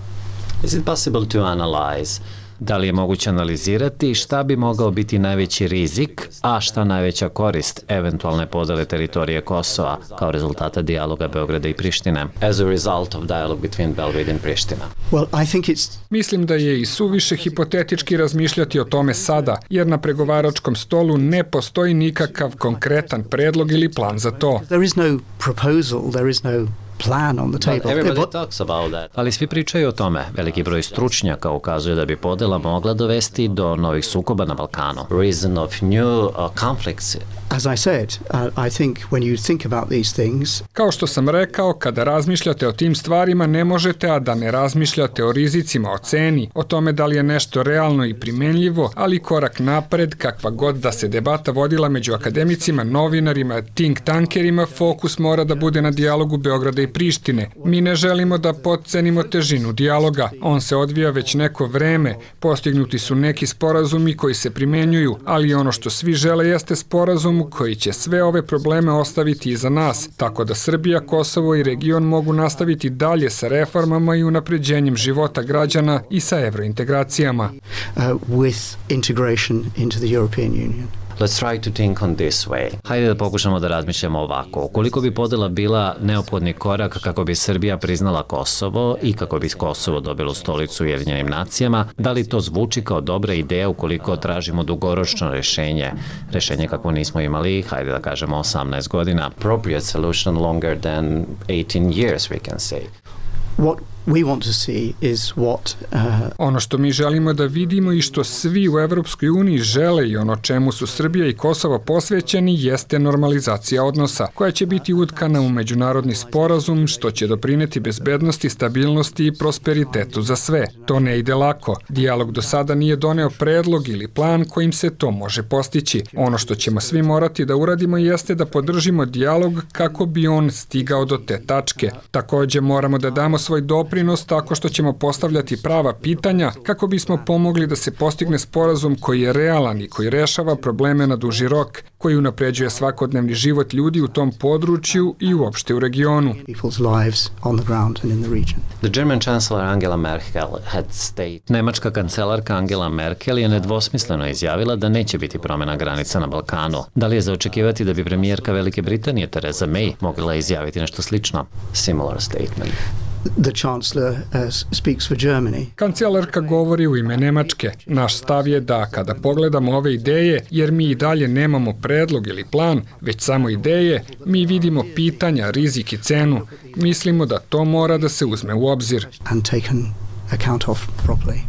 Is it possible to analyze? Da li je moguće analizirati šta bi mogao biti najveći rizik, a šta najveća korist eventualne podele teritorije Kosova kao rezultata dijaloga Beograda i Prištine? As a result of dialogue between Belgrade and Pristina. Well, I think it's... Mislim da je i suviše hipotetički razmišljati o tome sada, jer na pregovaračkom stolu ne postoji nikakav konkretan predlog ili plan za to. There is no proposal, there is no plan on the table. Everybody talks about that. Ali svi pričaju o tome. Veliki broj stručnjaka ukazuje da bi podela mogla dovesti do novih sukoba na Balkanu. Reason of new uh, conflicts. As I said, uh, I think when you think about these things... Kao što sam rekao, kada razmišljate o tim stvarima, ne možete, a da ne razmišljate o rizicima, o ceni, o tome da li je nešto realno i primenljivo, ali korak napred, kakva god da se debata vodila među akademicima, novinarima, think tankerima, fokus mora da bude na dijalogu Beograda i Prištine. Mi ne želimo da potcenimo težinu dijaloga. On se odvija već neko vreme, postignuti su neki sporazumi koji se primenjuju, ali ono što svi žele jeste sporazum koji će sve ove probleme ostaviti iza nas, tako da Srbija, Kosovo i region mogu nastaviti dalje sa reformama i unapređenjem života građana i sa evrointegracijama. Uh, with integration into the European Union. Let's try to think on this way. Hajde da pokušamo da razmišljamo ovako. Ukoliko bi podela bila neophodni korak kako bi Srbija priznala Kosovo i kako bi Kosovo dobilo stolicu u Ujedinjenim nacijama, da li to zvuči kao dobra ideja ukoliko tražimo dugoročno rešenje? Rešenje kako nismo imali, hajde da kažemo osamnaest godina. Appropriate solution longer than eighteen years, we can say. What we want to see is what uh, ono što mi želimo da vidimo i što svi u Evropskoj uniji žele i ono čemu su Srbija i Kosovo posvećeni jeste normalizacija odnosa, koja će biti utkana u međunarodni sporazum, što će doprineti bezbednosti, stabilnosti i prosperitetu za sve. To ne ide lako. Dijalog do sada nije doneo predlog ili plan kojim se to može postići. Ono što ćemo svi morati da uradimo jeste da podržimo dijalog kako bi on stigao do te tačke. Takođe moramo da damo svoj doprinos tako što ćemo postavljati prava pitanja kako bismo pomogli da se postigne sporazum koji je realan i koji rešava probleme na duži rok, koji unapređuje svakodnevni život ljudi u tom području i uopšte u regionu. The German Chancellor Angela Merkel had stated. Nemačka kancelarka Angela Merkel je nedvosmisleno izjavila da neće biti promjena granica na Balkanu. Da li je za očekivati da bi premijerka Velike Britanije Theresa May mogla izjaviti nešto slično? Similar statement. The Chancellor uh, speaks for Germany. Kancelarka govori u ime Nemačke. Naš stav je da kada pogledamo ove ideje, jer mi i dalje nemamo predlog ili plan, već samo ideje, mi vidimo pitanja, rizik i cenu. Mislimo da to mora da se uzme u obzir. And taken account of properly.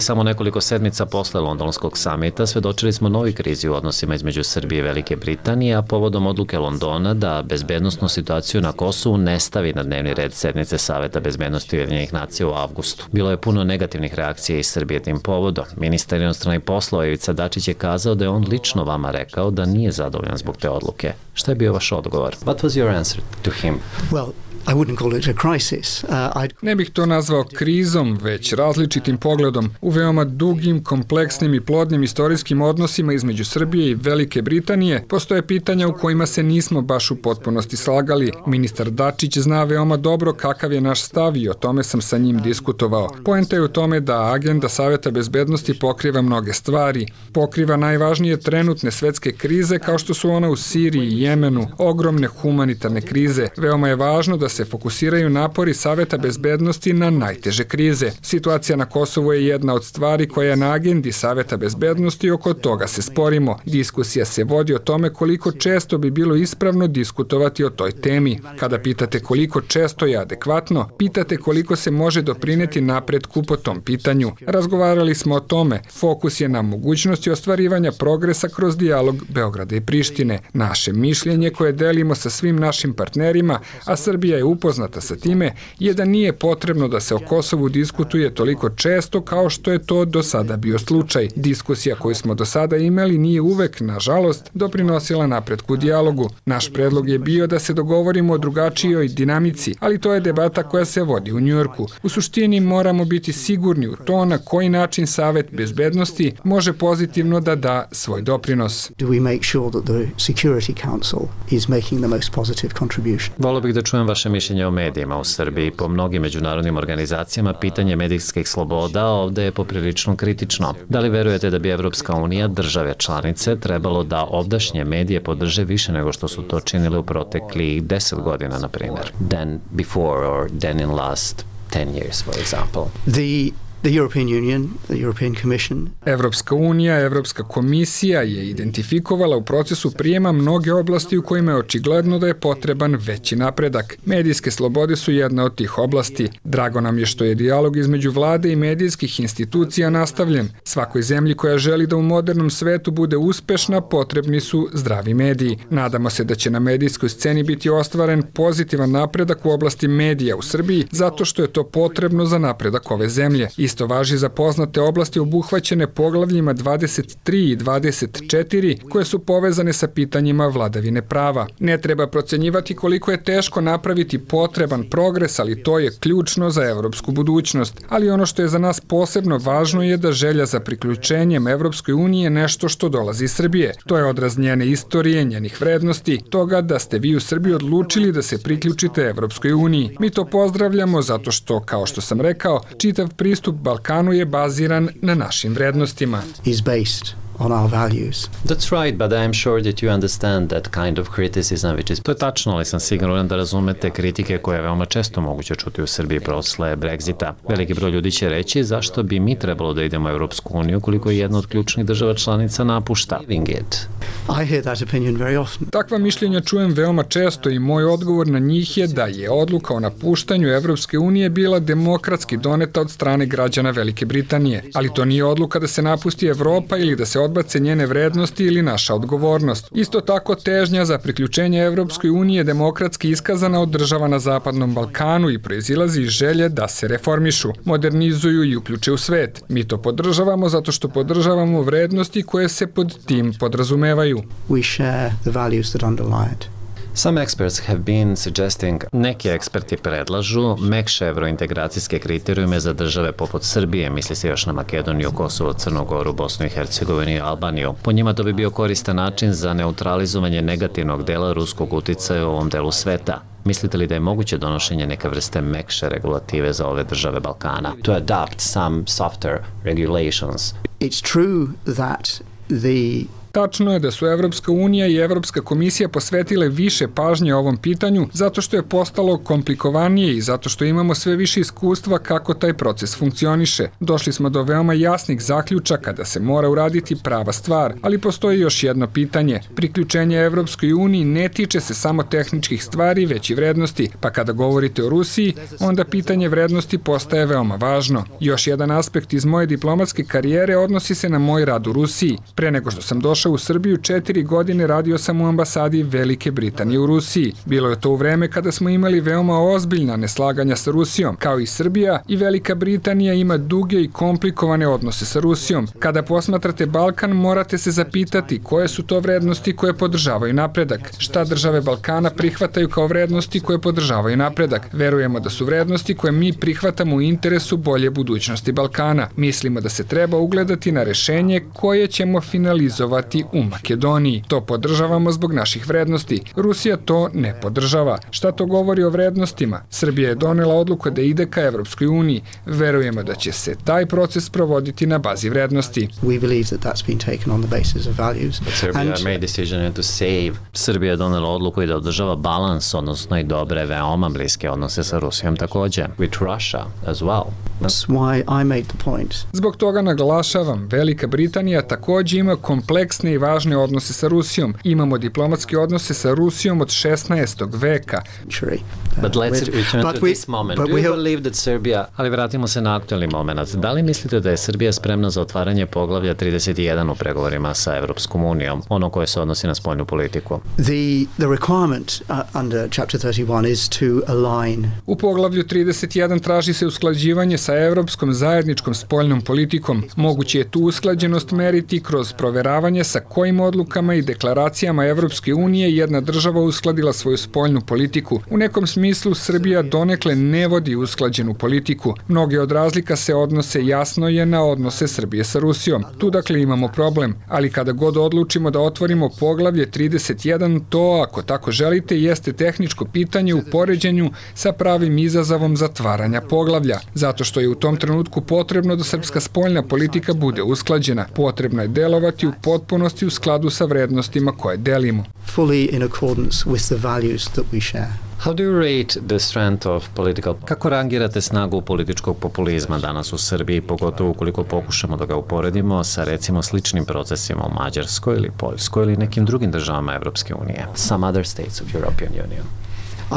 Samo nekoliko sedmica posle londonskog samita svedočili smo novi krizi u odnosima između Srbije i Velike Britanije, a povodom odluke Londona da bezbednosnu situaciju na Kosovu ne stavi na dnevni red sednice Saveta bezbednosti Ujedinjenih nacija u avgustu. Bilo je puno negativnih reakcija iz Srbije tim povodom. Ministar inostranih poslova Ivica Dačić je kazao da je on lično vama rekao da nije zadovoljan zbog te odluke. Šta je bio vaš odgovor? What was your answer to him? Well, I wouldn't call it a crisis. Uh, I'd... Ne bih to nazvao krizom, već različitim pogledom u veoma dugim, kompleksnim i plodnim istorijskim odnosima između Srbije i Velike Britanije. Postoje pitanja u kojima se nismo baš u potpunosti slagali. Ministar Dačić zna veoma dobro kakav je naš stav i o tome sam sa njim diskutovao. Poenta je u tome da agenda Saveta bezbednosti pokriva mnoge stvari. Pokriva najvažnije trenutne svetske krize kao što su ona u Siriji i Jemenu, ogromne humanitarne krize. Veoma je važno da se fokusiraju napori Saveta bezbednosti na najteže krize. Situacija na Kosovu je jedna od stvari koja je na agendi Saveta bezbednosti i oko toga se sporimo. Diskusija se vodi o tome koliko često bi bilo ispravno diskutovati o toj temi. Kada pitate koliko često je adekvatno, pitate koliko se može doprineti napretku po tom pitanju. Razgovarali smo o tome. Fokus je na mogućnosti ostvarivanja progresa kroz dijalog Beograda i Prištine. Naše mišljenje koje delimo sa svim našim partnerima, a Srbija je upoznata sa time, je da nije potrebno da se o Kosovu diskutuje toliko često kao što je to do sada bio slučaj. Diskusija koju smo do sada imali nije uvek, nažalost, doprinosila napretku u dijalogu. Naš predlog je bio da se dogovorimo o drugačijoj dinamici, ali to je debata koja se vodi u Njujorku. U suštini moramo biti sigurni u to na koji način Savet bezbednosti može pozitivno da da svoj doprinos. Do we make sure that the Security Council is making the most positive contribution? Volio bih da čujem vaše mišljenje o medijima u Srbiji. Po mnogim međunarodnim organizacijama pitanje medijskih sloboda ovde je poprilično kritično. Da li verujete da bi Evropska unija, države članice, trebalo da ovdašnje medije podrže više nego što su to činili u proteklih deset godina, na primjer? Than before or than in last ten years, for example? The The European Union, the European Commission. Evropska unija, Evropska komisija je identifikovala u procesu prijema mnoge oblasti u kojima je očigledno da je potreban veći napredak. Medijske slobode su jedna od tih oblasti. Drago nam je što je dijalog između vlade i medijskih institucija nastavljen. Svakoj zemlji koja želi da u modernom svetu bude uspešna, potrebni su zdravi mediji. Nadamo se da će na medijskoj sceni biti ostvaren pozitivan napredak u oblasti medija u Srbiji, zato što je to potrebno za napredak ove zemlje. Isto važi za poznate oblasti obuhvaćene poglavljima dvadeset tri i dvadeset četiri, koje su povezane sa pitanjima vladavine prava. Ne treba procenjivati koliko je teško napraviti potreban progres, ali to je ključno za evropsku budućnost. Ali ono što je za nas posebno važno je da želja za priključenjem Evropskoj uniji je nešto što dolazi iz Srbije. To je odraz njene istorije, njenih vrednosti, toga da ste vi u Srbiji odlučili da se priključite Evropskoj uniji. Mi to pozdravljamo zato što, kao što sam rekao, čitav pristup Balkanu je baziran na našim vrednostima. Is based on our values. That's right, but I am sure that you understand that kind of criticism which is... To je tačno, ali sam siguran da razumete kritike koje je veoma često moguće čuti u Srbiji posle Brexita. Veliki broj ljudi će reći zašto bi mi trebalo da idemo u Evropsku uniju koliko je jedna od ključnih država članica napušta. It. I hear that opinion very often. Takva mišljenja čujem veoma često i moj odgovor na njih je da je odluka o napuštanju Evropske unije bila demokratski doneta od strane građana Velike Britanije. Ali to nije odluka da se napusti Evropa ili da se odbace njene vrednosti ili naša odgovornost. Isto tako težnja za priključenje Evropskoj uniji je demokratski iskazana od država na Zapadnom Balkanu i proizilazi iz želje da se reformišu, modernizuju i uključe u svet. Mi to podržavamo zato što podržavamo vrednosti koje se pod tim podrazumevaju. We share the values that underlie it. Some experts have been suggesting, neki eksperti predlažu mekše evrointegracijske kriterijume za države poput Srbije, misli se još na Makedoniju, Kosovo, Crnu Goru, Bosnu i Hercegovinu i Albaniju. Po njima to bi bio koristan način za neutralizovanje negativnog dela ruskog uticaja u ovom delu sveta. Mislite li da je moguće donošenje neke vrste mekše regulative za ove države Balkana? To adopt some softer regulations. It's true that the Tačno je da su Evropska unija i Evropska komisija posvetile više pažnje ovom pitanju zato što je postalo komplikovanije i zato što imamo sve više iskustva kako taj proces funkcioniše. Došli smo do veoma jasnih zaključaka da se mora uraditi prava stvar, ali postoji još jedno pitanje. Priključenje Evropskoj uniji ne tiče se samo tehničkih stvari, već i vrednosti, pa kada govorite o Rusiji, onda pitanje vrednosti postaje veoma važno. Još jedan aspekt iz moje diplomatske karijere odnosi se na moj rad u Rusiji. Pre nego što sam došao u Srbiju, četiri godine radio sam u ambasadi Velike Britanije u Rusiji. Bilo je to u vreme kada smo imali veoma ozbiljna neslaganja sa Rusijom. Kao i Srbija, i Velika Britanija ima duge i komplikovane odnose sa Rusijom. Kada posmatrate Balkan, morate se zapitati koje su to vrednosti koje podržavaju napredak. Šta države Balkana prihvataju kao vrednosti koje podržavaju napredak? Verujemo da su vrednosti koje mi prihvatamo u interesu bolje budućnosti Balkana. Mislimo da se treba ugledati na rešenje koje ćemo finalizovati u Makedoniji. To podržavamo zbog naših vrednosti. Rusija to ne podržava. Šta to govori o vrednostima? Srbija je donela odluku da ide ka Evropskoj uniji. Verujemo da će se taj proces provoditi na bazi vrednosti. We believe that that's been taken on the basis of values. But Serbia And... made decision to save. Srbija je donela odluku i da održava balans, odnosno i dobre, veoma bliske odnose sa Rusijom takođe. With Russia as well. That's why I made the point. Zbog toga naglašavam, Velika Britanija takođe ima kompleksne i važne odnose sa Rusijom. Imamo diplomatske odnose sa Rusijom od šesnaestog veka. But let's return to this moment. Do you believe that Serbia... Ali vratimo se na aktualni moment. Da li mislite da je Srbija spremna za otvaranje poglavlja trideset jedan u pregovorima sa Evropskom unijom, ono koje se odnosi na spoljnu politiku? The, the requirement uh, under Chapter thirty-one is to align. U poglavlju trideset jedan traži se usklađivanje sa Evropskom zajedničkom spoljnom politikom. Moguće je tu usklađenost meriti kroz proveravanje sa kojim odlukama i deklaracijama Evropske unije jedna država uskladila svoju spoljnu politiku. U nekom smislu Srbija donekle ne vodi usklađenu politiku. Mnoge od razlika se odnose jasno je na odnose Srbije sa Rusijom. Tu dakle imamo problem, ali kada god odlučimo da otvorimo poglavlje trideset jedan, to, ako tako želite, jeste tehničko pitanje u poređenju sa pravim izazovom zatvaranja poglavlja. Zato što je u tom trenutku potrebno da srpska spoljna politika bude usklađena. Potrebno je delovati u potpunosti u skladu sa vrednostima koje delimo. Fully in accordance with the values that we share. How do you rate the strength of political... Kako rangirate snagu političkog populizma danas u Srbiji, pogotovo ukoliko pokušamo da ga uporedimo sa recimo sličnim procesima u Mađarskoj ili Poljskoj ili nekim drugim državama Evropske unije? Some other states of European Union.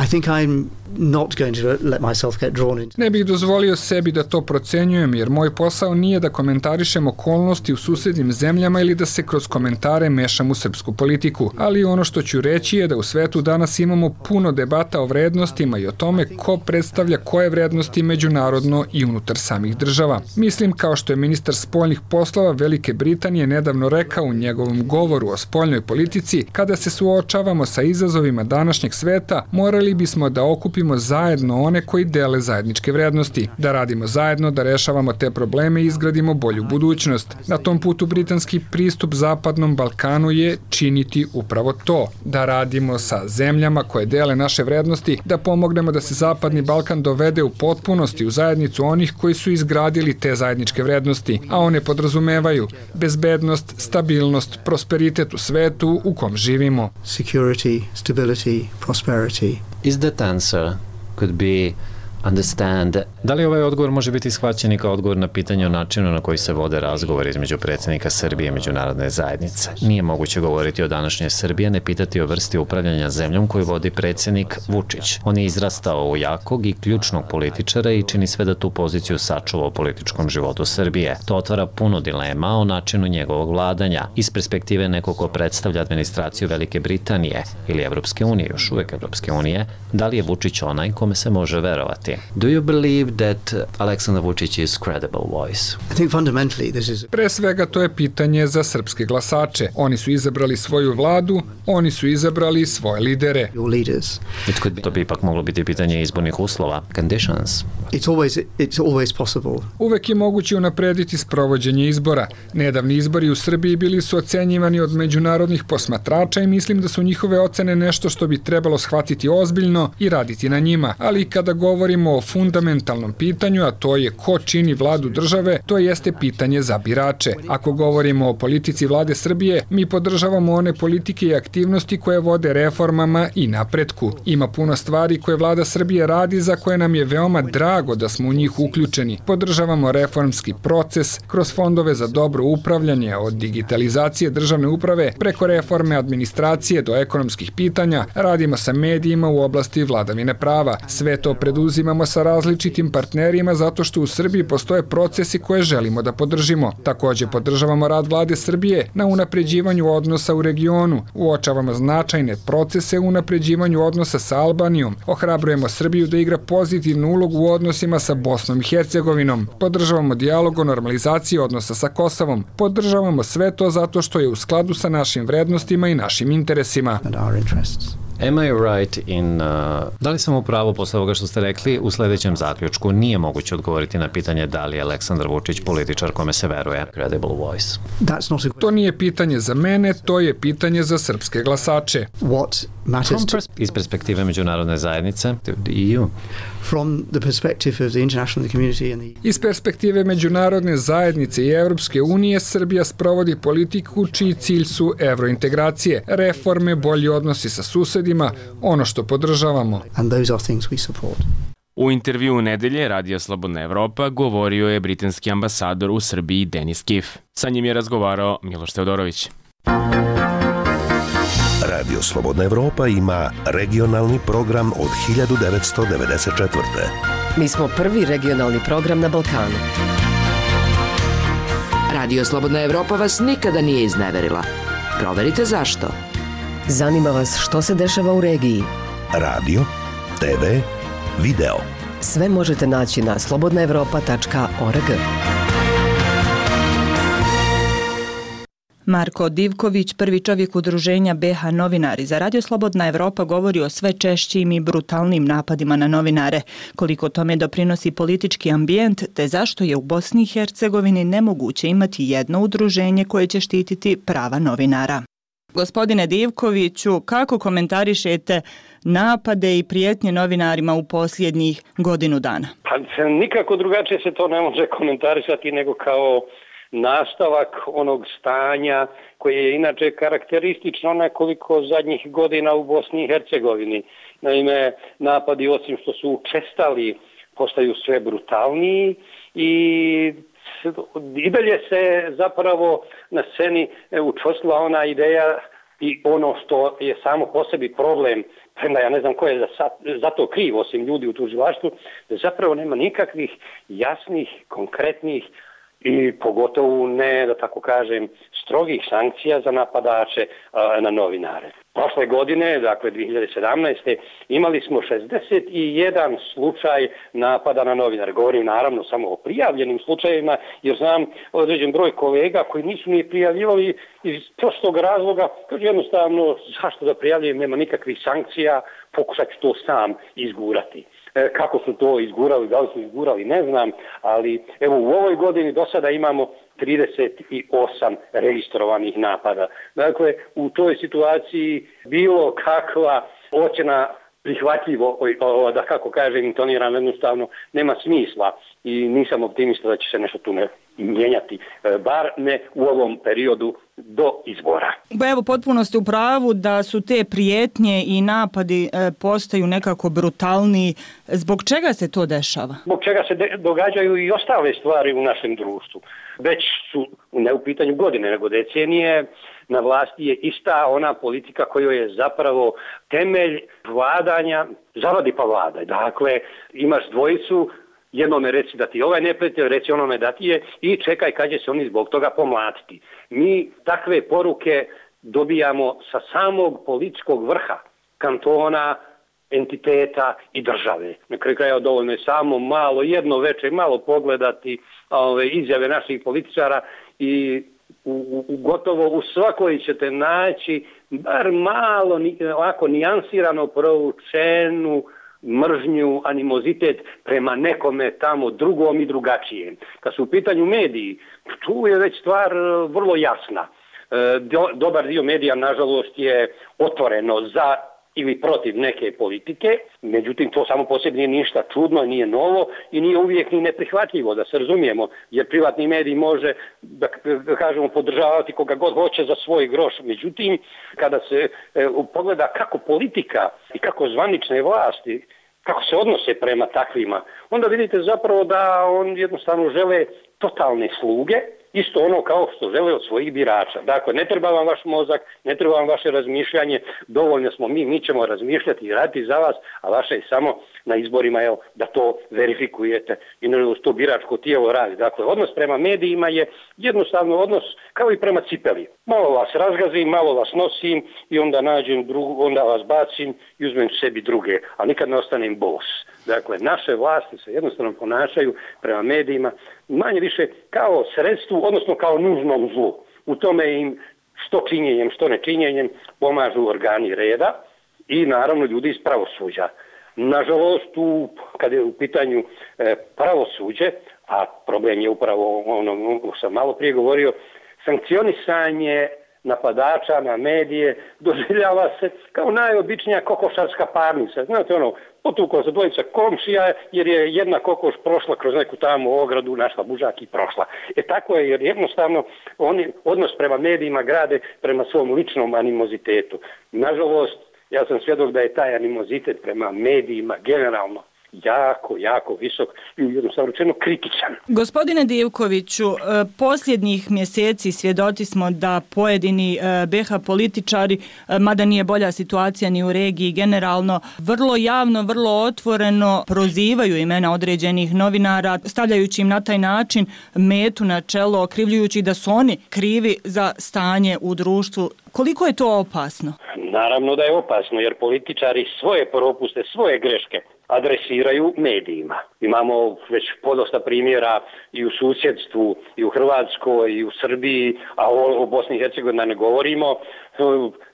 I think I'm not going to let myself get drawn into. Ne bih dozvolio sebi da to procenjujem, jer moj posao nije da komentarišem okolnosti u susednim zemljama ili da se kroz komentare mešam u srpsku politiku. Ali ono što ću reći je da u svetu danas imamo puno debata o vrednostima i o tome ko predstavlja koje vrednosti međunarodno i unutar samih država. Mislim, kao što je ministar spoljnih poslova Velike Britanije nedavno rekao u njegovom govoru o spoljnoj politici, kada se suočavamo sa izazovima današnjeg sveta, morali bismo da okupimo zajedno one koji dele zajedničke vrednosti, da radimo zajedno, da rešavamo te probleme i izgradimo bolju budućnost. Na tom putu britanski pristup Zapadnom Balkanu je činiti upravo to, da radimo sa zemljama koje dele naše vrednosti, da pomognemo da se Zapadni Balkan dovede u potpunosti u zajednicu onih koji su izgradili te zajedničke vrednosti, a one podrazumevaju bezbednost, stabilnost, prosperitet u svetu u kom živimo. Security, stability, prosperity. Is that answer could be understand. Da li ovaj odgovor može biti shvaćen i kao odgovor na pitanje o načinu na koji se vode razgovori između predsjednika Srbije i međunarodne zajednice? Nije moguće govoriti o današnjoj Srbiji, ne pitati o vrsti upravljanja zemljom koju vodi predsjednik Vučić. On je izrastao u jakog i ključnog političara i čini sve da tu poziciju sačuva u političkom životu Srbije. To otvara puno dilema o načinu njegovog vladanja. Iz perspektive nekog ko predstavlja administraciju Velike Britanije ili Evropske unije, još uvek Evropske unije, da li je Vučić onaj kome se može verovati? Do you believe that Aleksandar Vučić is credible voice? I think fundamentally this is... Pre svega to je pitanje za srpske glasače. Oni su izabrali svoju vladu, oni su izabrali svoje lidere. It could be, to bi ipak moglo biti pitanje izbornih uslova. Conditions. It's always, it's always possible. Uvek je moguće unaprediti sprovođenje izbora. Nedavni izbori u Srbiji bili su ocenjivani od međunarodnih posmatrača i mislim da su njihove ocene nešto što bi trebalo shvatiti ozbiljno i raditi na njima. Ali kada govorimo o fundamentalnom pitanju, a to je ko čini vladu države, to jeste pitanje za birače. Ako govorimo o politici vlade Srbije, mi podržavamo one politike i aktivnosti koje vode reformama i napretku. Ima puno stvari koje vlada Srbije radi za koje nam je veoma drago da smo u njih uključeni. Podržavamo reformski proces kroz fondove za dobro upravljanje, od digitalizacije državne uprave preko reforme administracije do ekonomskih pitanja, radimo sa medijima u oblasti vladavine prava. Sve to preduzimamo sa različitim partnerima zato što u Srbiji postoje procesi koje želimo da podržimo. Takođe podržavamo rad vlade Srbije na unapređivanju odnosa u regionu. Uočavamo značajne procese u unapređivanju odnosa sa Albanijom. Ohrabrujemo Srbiju da igra pozitivnu ulogu u odnosima sa Bosnom i Hercegovinom. Podržavamo dijalog o normalizaciji odnosa sa Kosovom. Podržavamo sve to zato što je u skladu sa našim vrednostima i našim interesima. Am I right in... Uh, da li sam u pravu posle ovoga što ste rekli u sledećem zaključku? Nije moguće odgovoriti na pitanje da li je Aleksandar Vučić političar kome se veruje. Credible voice. To nije pitanje za mene, to je pitanje za srpske glasače. What matters to... Iz perspektive međunarodne zajednice, the E U. From the perspective of the international community and the... Iz perspektive međunarodne zajednice i Evropske unije, Srbija sprovodi politiku čiji cilj su evrointegracije, reforme, bolji odnosi sa susedima, ono što podržavamo. And those are things we support. U intervju nedelje Radio Slobodna Evropa govorio je britanski ambasador u Srbiji Denis Kiff. Sa njim je razgovarao Miloš Teodorović. Radio Slobodna Evropa ima regionalni program od hiljadu devetsto devedeset četvrte. Mi smo prvi regionalni program na Balkanu. Radio Slobodna Evropa vas nikada nije izneverila. Proverite zašto. Zanima vas što se dešava u regiji. Radio, te ve, video. Sve možete naći na slobodna evropa tačka org. Marko Divković, prvi čovjek udruženja B H Novinari za Radio Slobodna Evropa, govori o sve češćim i brutalnim napadima na novinare, koliko tome doprinosi politički ambijent, te zašto je u Bosni i Hercegovini nemoguće imati jedno udruženje koje će štititi prava novinara. Gospodine Divkoviću, kako komentarišete napade i prijetnje novinarima u posljednjih godinu dana? Pa nikako drugačije se to ne može komentarisati nego kao nastavak onog stanja koje je inače karakteristično nekoliko zadnjih godina u Bosni i Hercegovini. Naime, napadi osim što su učestali postaju sve brutalniji i i dalje se zapravo na sceni učvrstila ona ideja i ono što je samo po sebi problem, premda ja ne znam ko je za, za to kriv osim ljudi u tužilaštvu, da zapravo nema nikakvih jasnih, konkretnih i pogotovo ne, da tako kažem, strogih sankcija za napadače a, na novinare. Prošle godine, dakle dvije hiljade sedamnaeste. imali smo šezdeset jedan slučaj napada na novinare. Govorim naravno samo o prijavljenim slučajevima, jer znam određen broj kolega koji nisu ni prijavljivali iz prostog razloga, kaže jednostavno zašto da prijavljujem, nema nikakvih sankcija, pokušat ću to sam izgurati. E, kako su to izgurali, da li su izgurali, ne znam, ali evo u ovoj godini do sada imamo trideset osam registrovanih napada. Dakle, u toj situaciji bilo kakva ocjena prihvatljivo, o, da kako kažem, intonirano jednostavno, nema smisla i nisam optimista da će se nešto tu ne mijenjati, bar ne u ovom periodu do izbora. Ba evo, potpuno ste u pravu da su te prijetnje i napadi e, postaju nekako brutalniji. Zbog čega se to dešava? Zbog čega se de- događaju i ostale stvari u našem društvu. Već su ne u pitanju godine, nego decenije, na vlasti je ista ona politika koja je zapravo temelj vladanja, zavadi pa vladaj. Dakle, imaš dvojicu, jednome reci da ti ovaj neprijatelj, reci onome da ti je i čekaj kad će se oni zbog toga pomlatiti. Mi takve poruke dobijamo sa samog političkog vrha, kantona, entiteta i države. Na kraju kraja dovoljno je samo malo, jedno veče, malo pogledati ove izjave naših političara i u, u, gotovo u svakoj ćete naći bar malo ovako nijansirano proučenu mržnju, animozitet prema nekome tamo drugom i drugačijem. Kad su u pitanju mediji, tu je već stvar vrlo jasna. Dobar dio medija, nažalost, je otvoreno za ili protiv neke politike, međutim to samo po sebi nije ništa čudno, nije novo i nije uvijek ni neprihvatljivo, da se razumijemo, jer privatni medij može, da kažemo, podržavati koga god hoće za svoj groš. Međutim, kada se e, pogleda kako politika i kako zvanične vlasti, kako se odnose prema takvima, onda vidite zapravo da on jednostavno žele totalne sluge, isto ono kao što žele od svojih birača. Dakle, ne treba vam vaš mozak, ne treba vam vaše razmišljanje, dovoljno smo mi, mi ćemo razmišljati i raditi za vas, a vaše je samo na izborima evo, da to verifikujete i na to biračko tijelo radi. Dakle, odnos prema medijima je jednostavno odnos kao i prema cipeli. Malo vas razgazim, malo vas nosim i onda nađem drugu, onda vas bacim i uzmem sebi druge, a nikad ne ostanem bos. Dakle, naše vlasti se jednostavno ponašaju prema medijima manje više kao sredstvu, odnosno kao nužnom zlu. U tome im što činjenjem, što nečinjenjem pomažu organi reda i naravno ljudi iz pravosuđa. Nažalost, u, kada je u pitanju e, pravosuđe, a problem je upravo ono što sam malo prije govorio, sankcionisanje napadača na medije doživljava se kao najobičnija kokošarska parnica. Znate ono, potukao se dvojica komšija jer je jedna kokoš prošla kroz neku tamo ogradu, našla bužak i prošla. E tako je, jer jednostavno oni odnos prema medijima grade prema svom ličnom animozitetu. Nažalost, ja sam svjedok da je taj animozitet prema medijima generalno jako, jako visok i jednostavno rečeno kritičan. Gospodine Divkoviću, posljednjih mjeseci svjedoci smo da pojedini be ha političari, mada nije bolja situacija ni u regiji generalno, vrlo javno, vrlo otvoreno prozivaju imena određenih novinara, stavljajući im na taj način metu na čelo, okrivljujući da su oni krivi za stanje u društvu. Koliko je to opasno? Naravno da je opasno, jer političari svoje propuste, svoje greške adresiraju medijima. Imamo već podosta primjera i u susjedstvu, i u Hrvatskoj, i u Srbiji, a o, o Bosni i Hercegovini ne govorimo,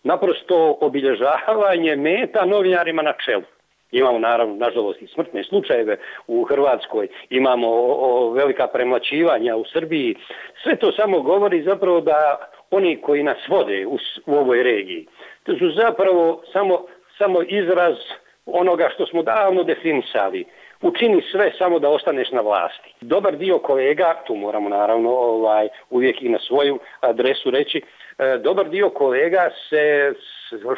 naprosto obilježavanje meta novinarima na čelu. Imamo naravno, nažalost, i smrtne slučajeve u Hrvatskoj, imamo o, o velika premlaćivanja u Srbiji. Sve to samo govori zapravo da oni koji nas vode u, u ovoj regiji, to su zapravo samo, samo izraz onoga što smo davno definisali. Učini sve samo da ostaneš na vlasti. Dobar dio kolega, tu moramo naravno ovaj, uvijek i na svoju adresu reći, e, dobar dio kolega se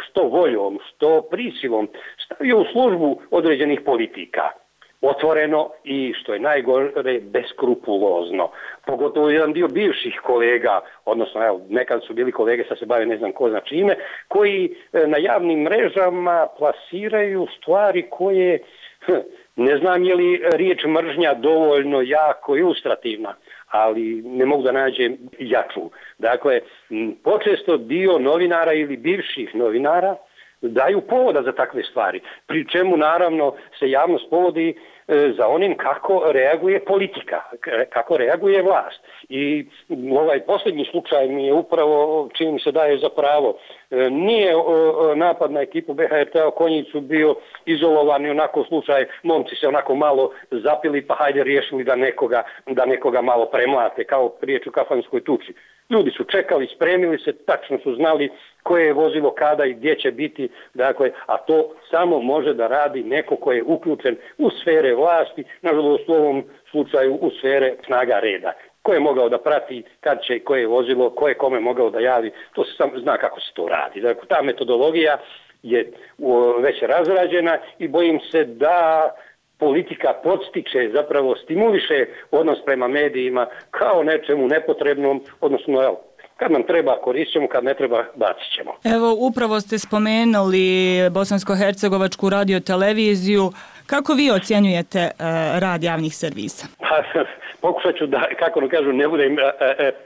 što voljom, što prisilom stavio u službu određenih politika. Otvoreno i, što je najgore, beskrupulozno. Pogotovo jedan dio bivših kolega, odnosno evo, nekad su bili kolege, sad se bave ne znam ko zna čime, koji na javnim mrežama plasiraju stvari koje, ne znam je li riječ mržnja dovoljno jako ilustrativna, ali ne mogu da nađem jaču. Dakle, počesto dio novinara ili bivših novinara daju povoda za takve stvari, pri čemu naravno se javnost povodi e, za onim kako reaguje politika, kako reaguje vlast. I ovaj posljednji slučaj mi je upravo, čini mi se daje za pravo, e, nije o, napad na ekipu be ha er te Konjicu bio izolovani onako slučaj, momci se onako malo zapili pa hajde riješili da nekoga, da nekoga malo premlate, kao riječ u kafanskoj tuči. Ljudi su čekali, spremili se, tačno su znali koje je vozilo kada i gdje će biti, dakle, a to samo može da radi neko ko je uključen u sfere vlasti, nažalost u ovom slučaju u sfere snaga reda. Ko je mogao da prati kad će i koje je vozilo, ko je kome mogao da javi, to se samo zna kako se to radi. Dakle, ta metodologija je već razrađena i bojim se da politika podstiče, zapravo stimuliše odnos prema medijima kao nečemu nepotrebnom, odnosno evo, kad nam treba koristit ćemo, kad ne treba bacit ćemo. Evo, upravo ste spomenuli Bosansko-hercegovačku radioteleviziju. Kako vi ocjenjujete uh, rad javnih servisa? Pokušat ću da, kako ne kažu, ne budem uh,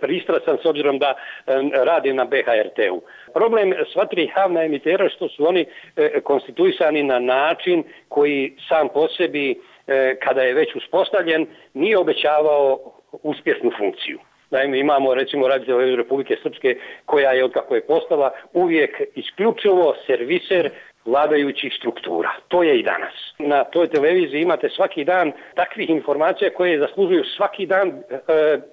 pristrasan s obzirom da uh, radim na B H R T-u. Problem sva tri javna emitera što su oni uh, konstituisani na način koji sam po sebi, uh, kada je već uspostavljen, nije obećavao uspješnu funkciju. Naime, imamo recimo Radio Republike Srpske koja je, otkako je postala, uvijek isključivo serviser vladajućih struktura. To je i danas. Na toj televiziji imate svaki dan takvih informacija koje zaslužuju svaki dan e,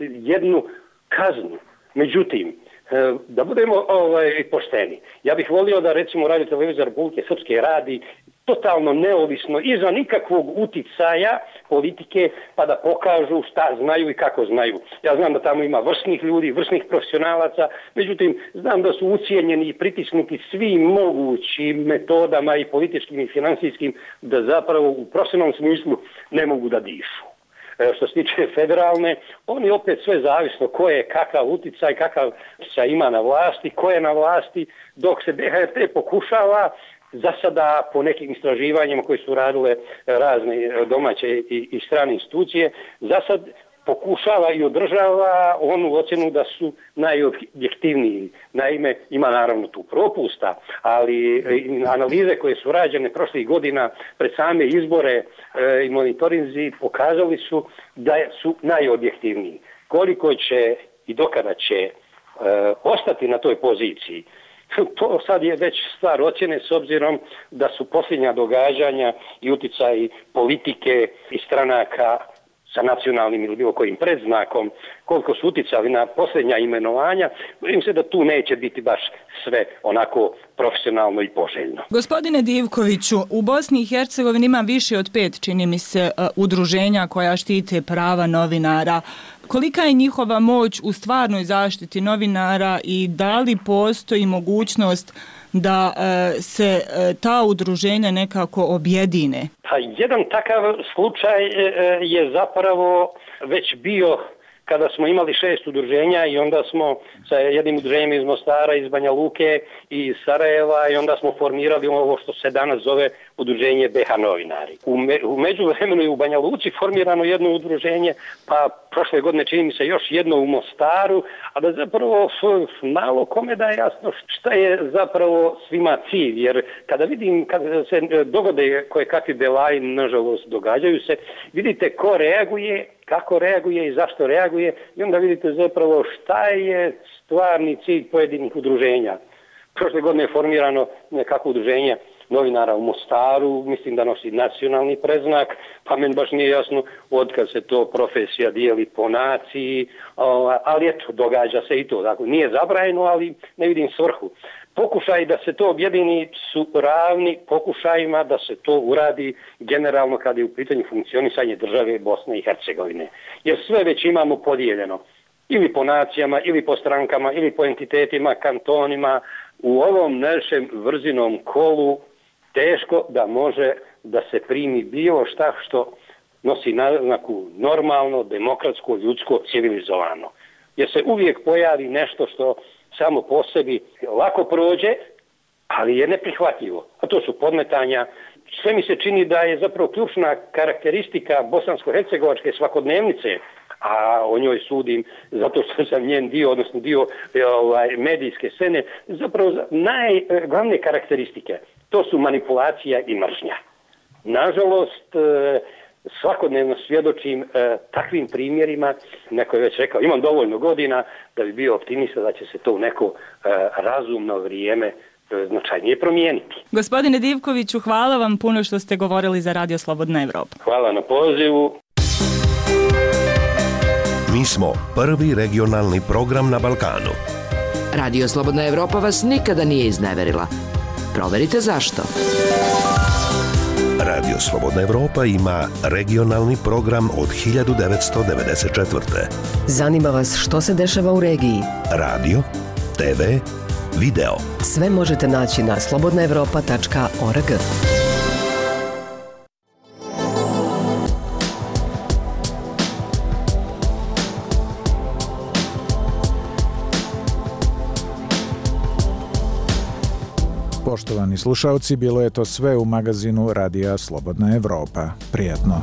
jednu kaznu. Međutim, e, da budemo ovaj, pošteni, ja bih volio da recimo Radio Televizija Republike Srpske radi totalno neovisno, iza nikakvog uticaja politike, pa da pokažu šta znaju i kako znaju. Ja znam da tamo ima vrsnih ljudi, vrsnih profesionalaca, međutim, znam da su ucijenjeni i pritisnuti svim mogućim metodama i političkim i finansijskim, da zapravo u profesionalnom smislu ne mogu da dišu. E, što se tiče federalne, oni opet sve zavisno ko je kakav uticaj, kakav se ima na vlasti, ko je na vlasti, dok se B H R T pokušava za sada po nekim istraživanjima koje su radile razne domaće i, i strane institucije, za sad pokušava i održava onu ocjenu da su najobjektivniji. Naime, ima naravno tu propusta, ali analize koje su rađene prošlih godina pred same izbore e, i monitorinzi pokazali su da su najobjektivniji. Koliko će i dokada će e, ostati na toj poziciji, to sad je već stvar ocjene s obzirom da su posljednja događanja i utjecaji politike i stranaka sa nacionalnim ili bilo kojim predznakom, koliko su utjecali na posljednja imenovanja, bojim se da tu neće biti baš sve onako profesionalno i poželjno. Gospodine Divkoviću, u Bosni i Hercegovini ima više od pet, čini mi se, udruženja koja štite prava novinara. Kolika je njihova moć u stvarnoj zaštiti novinara i da li postoji mogućnost da e, se e, ta udruženja nekako objedine? Pa jedan takav slučaj e, je zapravo već bio kada smo imali šest udruženja i onda smo sa jednim udruženjem iz Mostara, iz Banja Luke i iz Sarajeva i onda smo formirali ovo što se danas zove udruženje B H novinari. U, me, u međuvremenu je u Banja Luci formirano jedno udruženje, pa prošle godine čini mi se još jedno u Mostaru, a da zapravo malo kome da je jasno šta je zapravo svima cilj, jer kada vidim, kada se dogode koje kakvi belaji, nažalost događaju se, vidite ko reaguje, kako reaguje i zašto reaguje i onda vidite zapravo šta je stvarni cilj pojedinih udruženja. Prošle godine je formirano nekako udruženje novinara u Mostaru, mislim da nosi nacionalni preznak, pa meni baš nije jasno od kad se to profesija dijeli po naciji, ali eto, događa se i to. Dakle, nije zabranjeno, ali ne vidim svrhu. Pokušaj da se to objedini su ravni pokušajima da se to uradi generalno kada je u pitanju funkcionisanje države Bosne i Hercegovine. Jer sve već imamo podijeljeno. Ili po nacijama, ili po strankama, ili po entitetima, kantonima. U ovom našem vrzinom kolu teško da može da se primi bilo šta što nosi naznaku normalno, demokratsko, ljudsko, civilizovano. Jer se uvijek pojavi nešto što samo po sebi lako prođe, ali je neprihvatljivo. A to su podmetanja. Sve mi se čini da je zapravo ključna karakteristika bosansko-hercegovačke svakodnevnice, a o njoj sudim zato što sam njen dio, odnosno dio ovaj, medijske scene, zapravo najglavne karakteristike. To su manipulacija i mržnja. Nažalost, svakodnevno svjedočim e, takvim primjerima, neko je već rekao, imam dovoljno godina da bi bio optimista da će se to u neko e, razumno vrijeme e, značajnije promijeniti. Gospodine Divkoviću, hvala vam puno što ste govorili za Radio Slobodna Evropa. Hvala na pozivu. Mi smo prvi regionalni program na Balkanu. Radio Slobodna Evropa vas nikada nije izneverila. Proverite zašto. Radio Slobodna Evropa ima regionalni program od hiljadu devetsto devedeset četvrte. Zanima vas što se dešava u regiji? Radio, te ve, video. Sve možete naći na slobodna evropa tačka org. Poštovani slušalci, bilo je to sve u magazinu Radija Slobodna Evropa. Prijatno.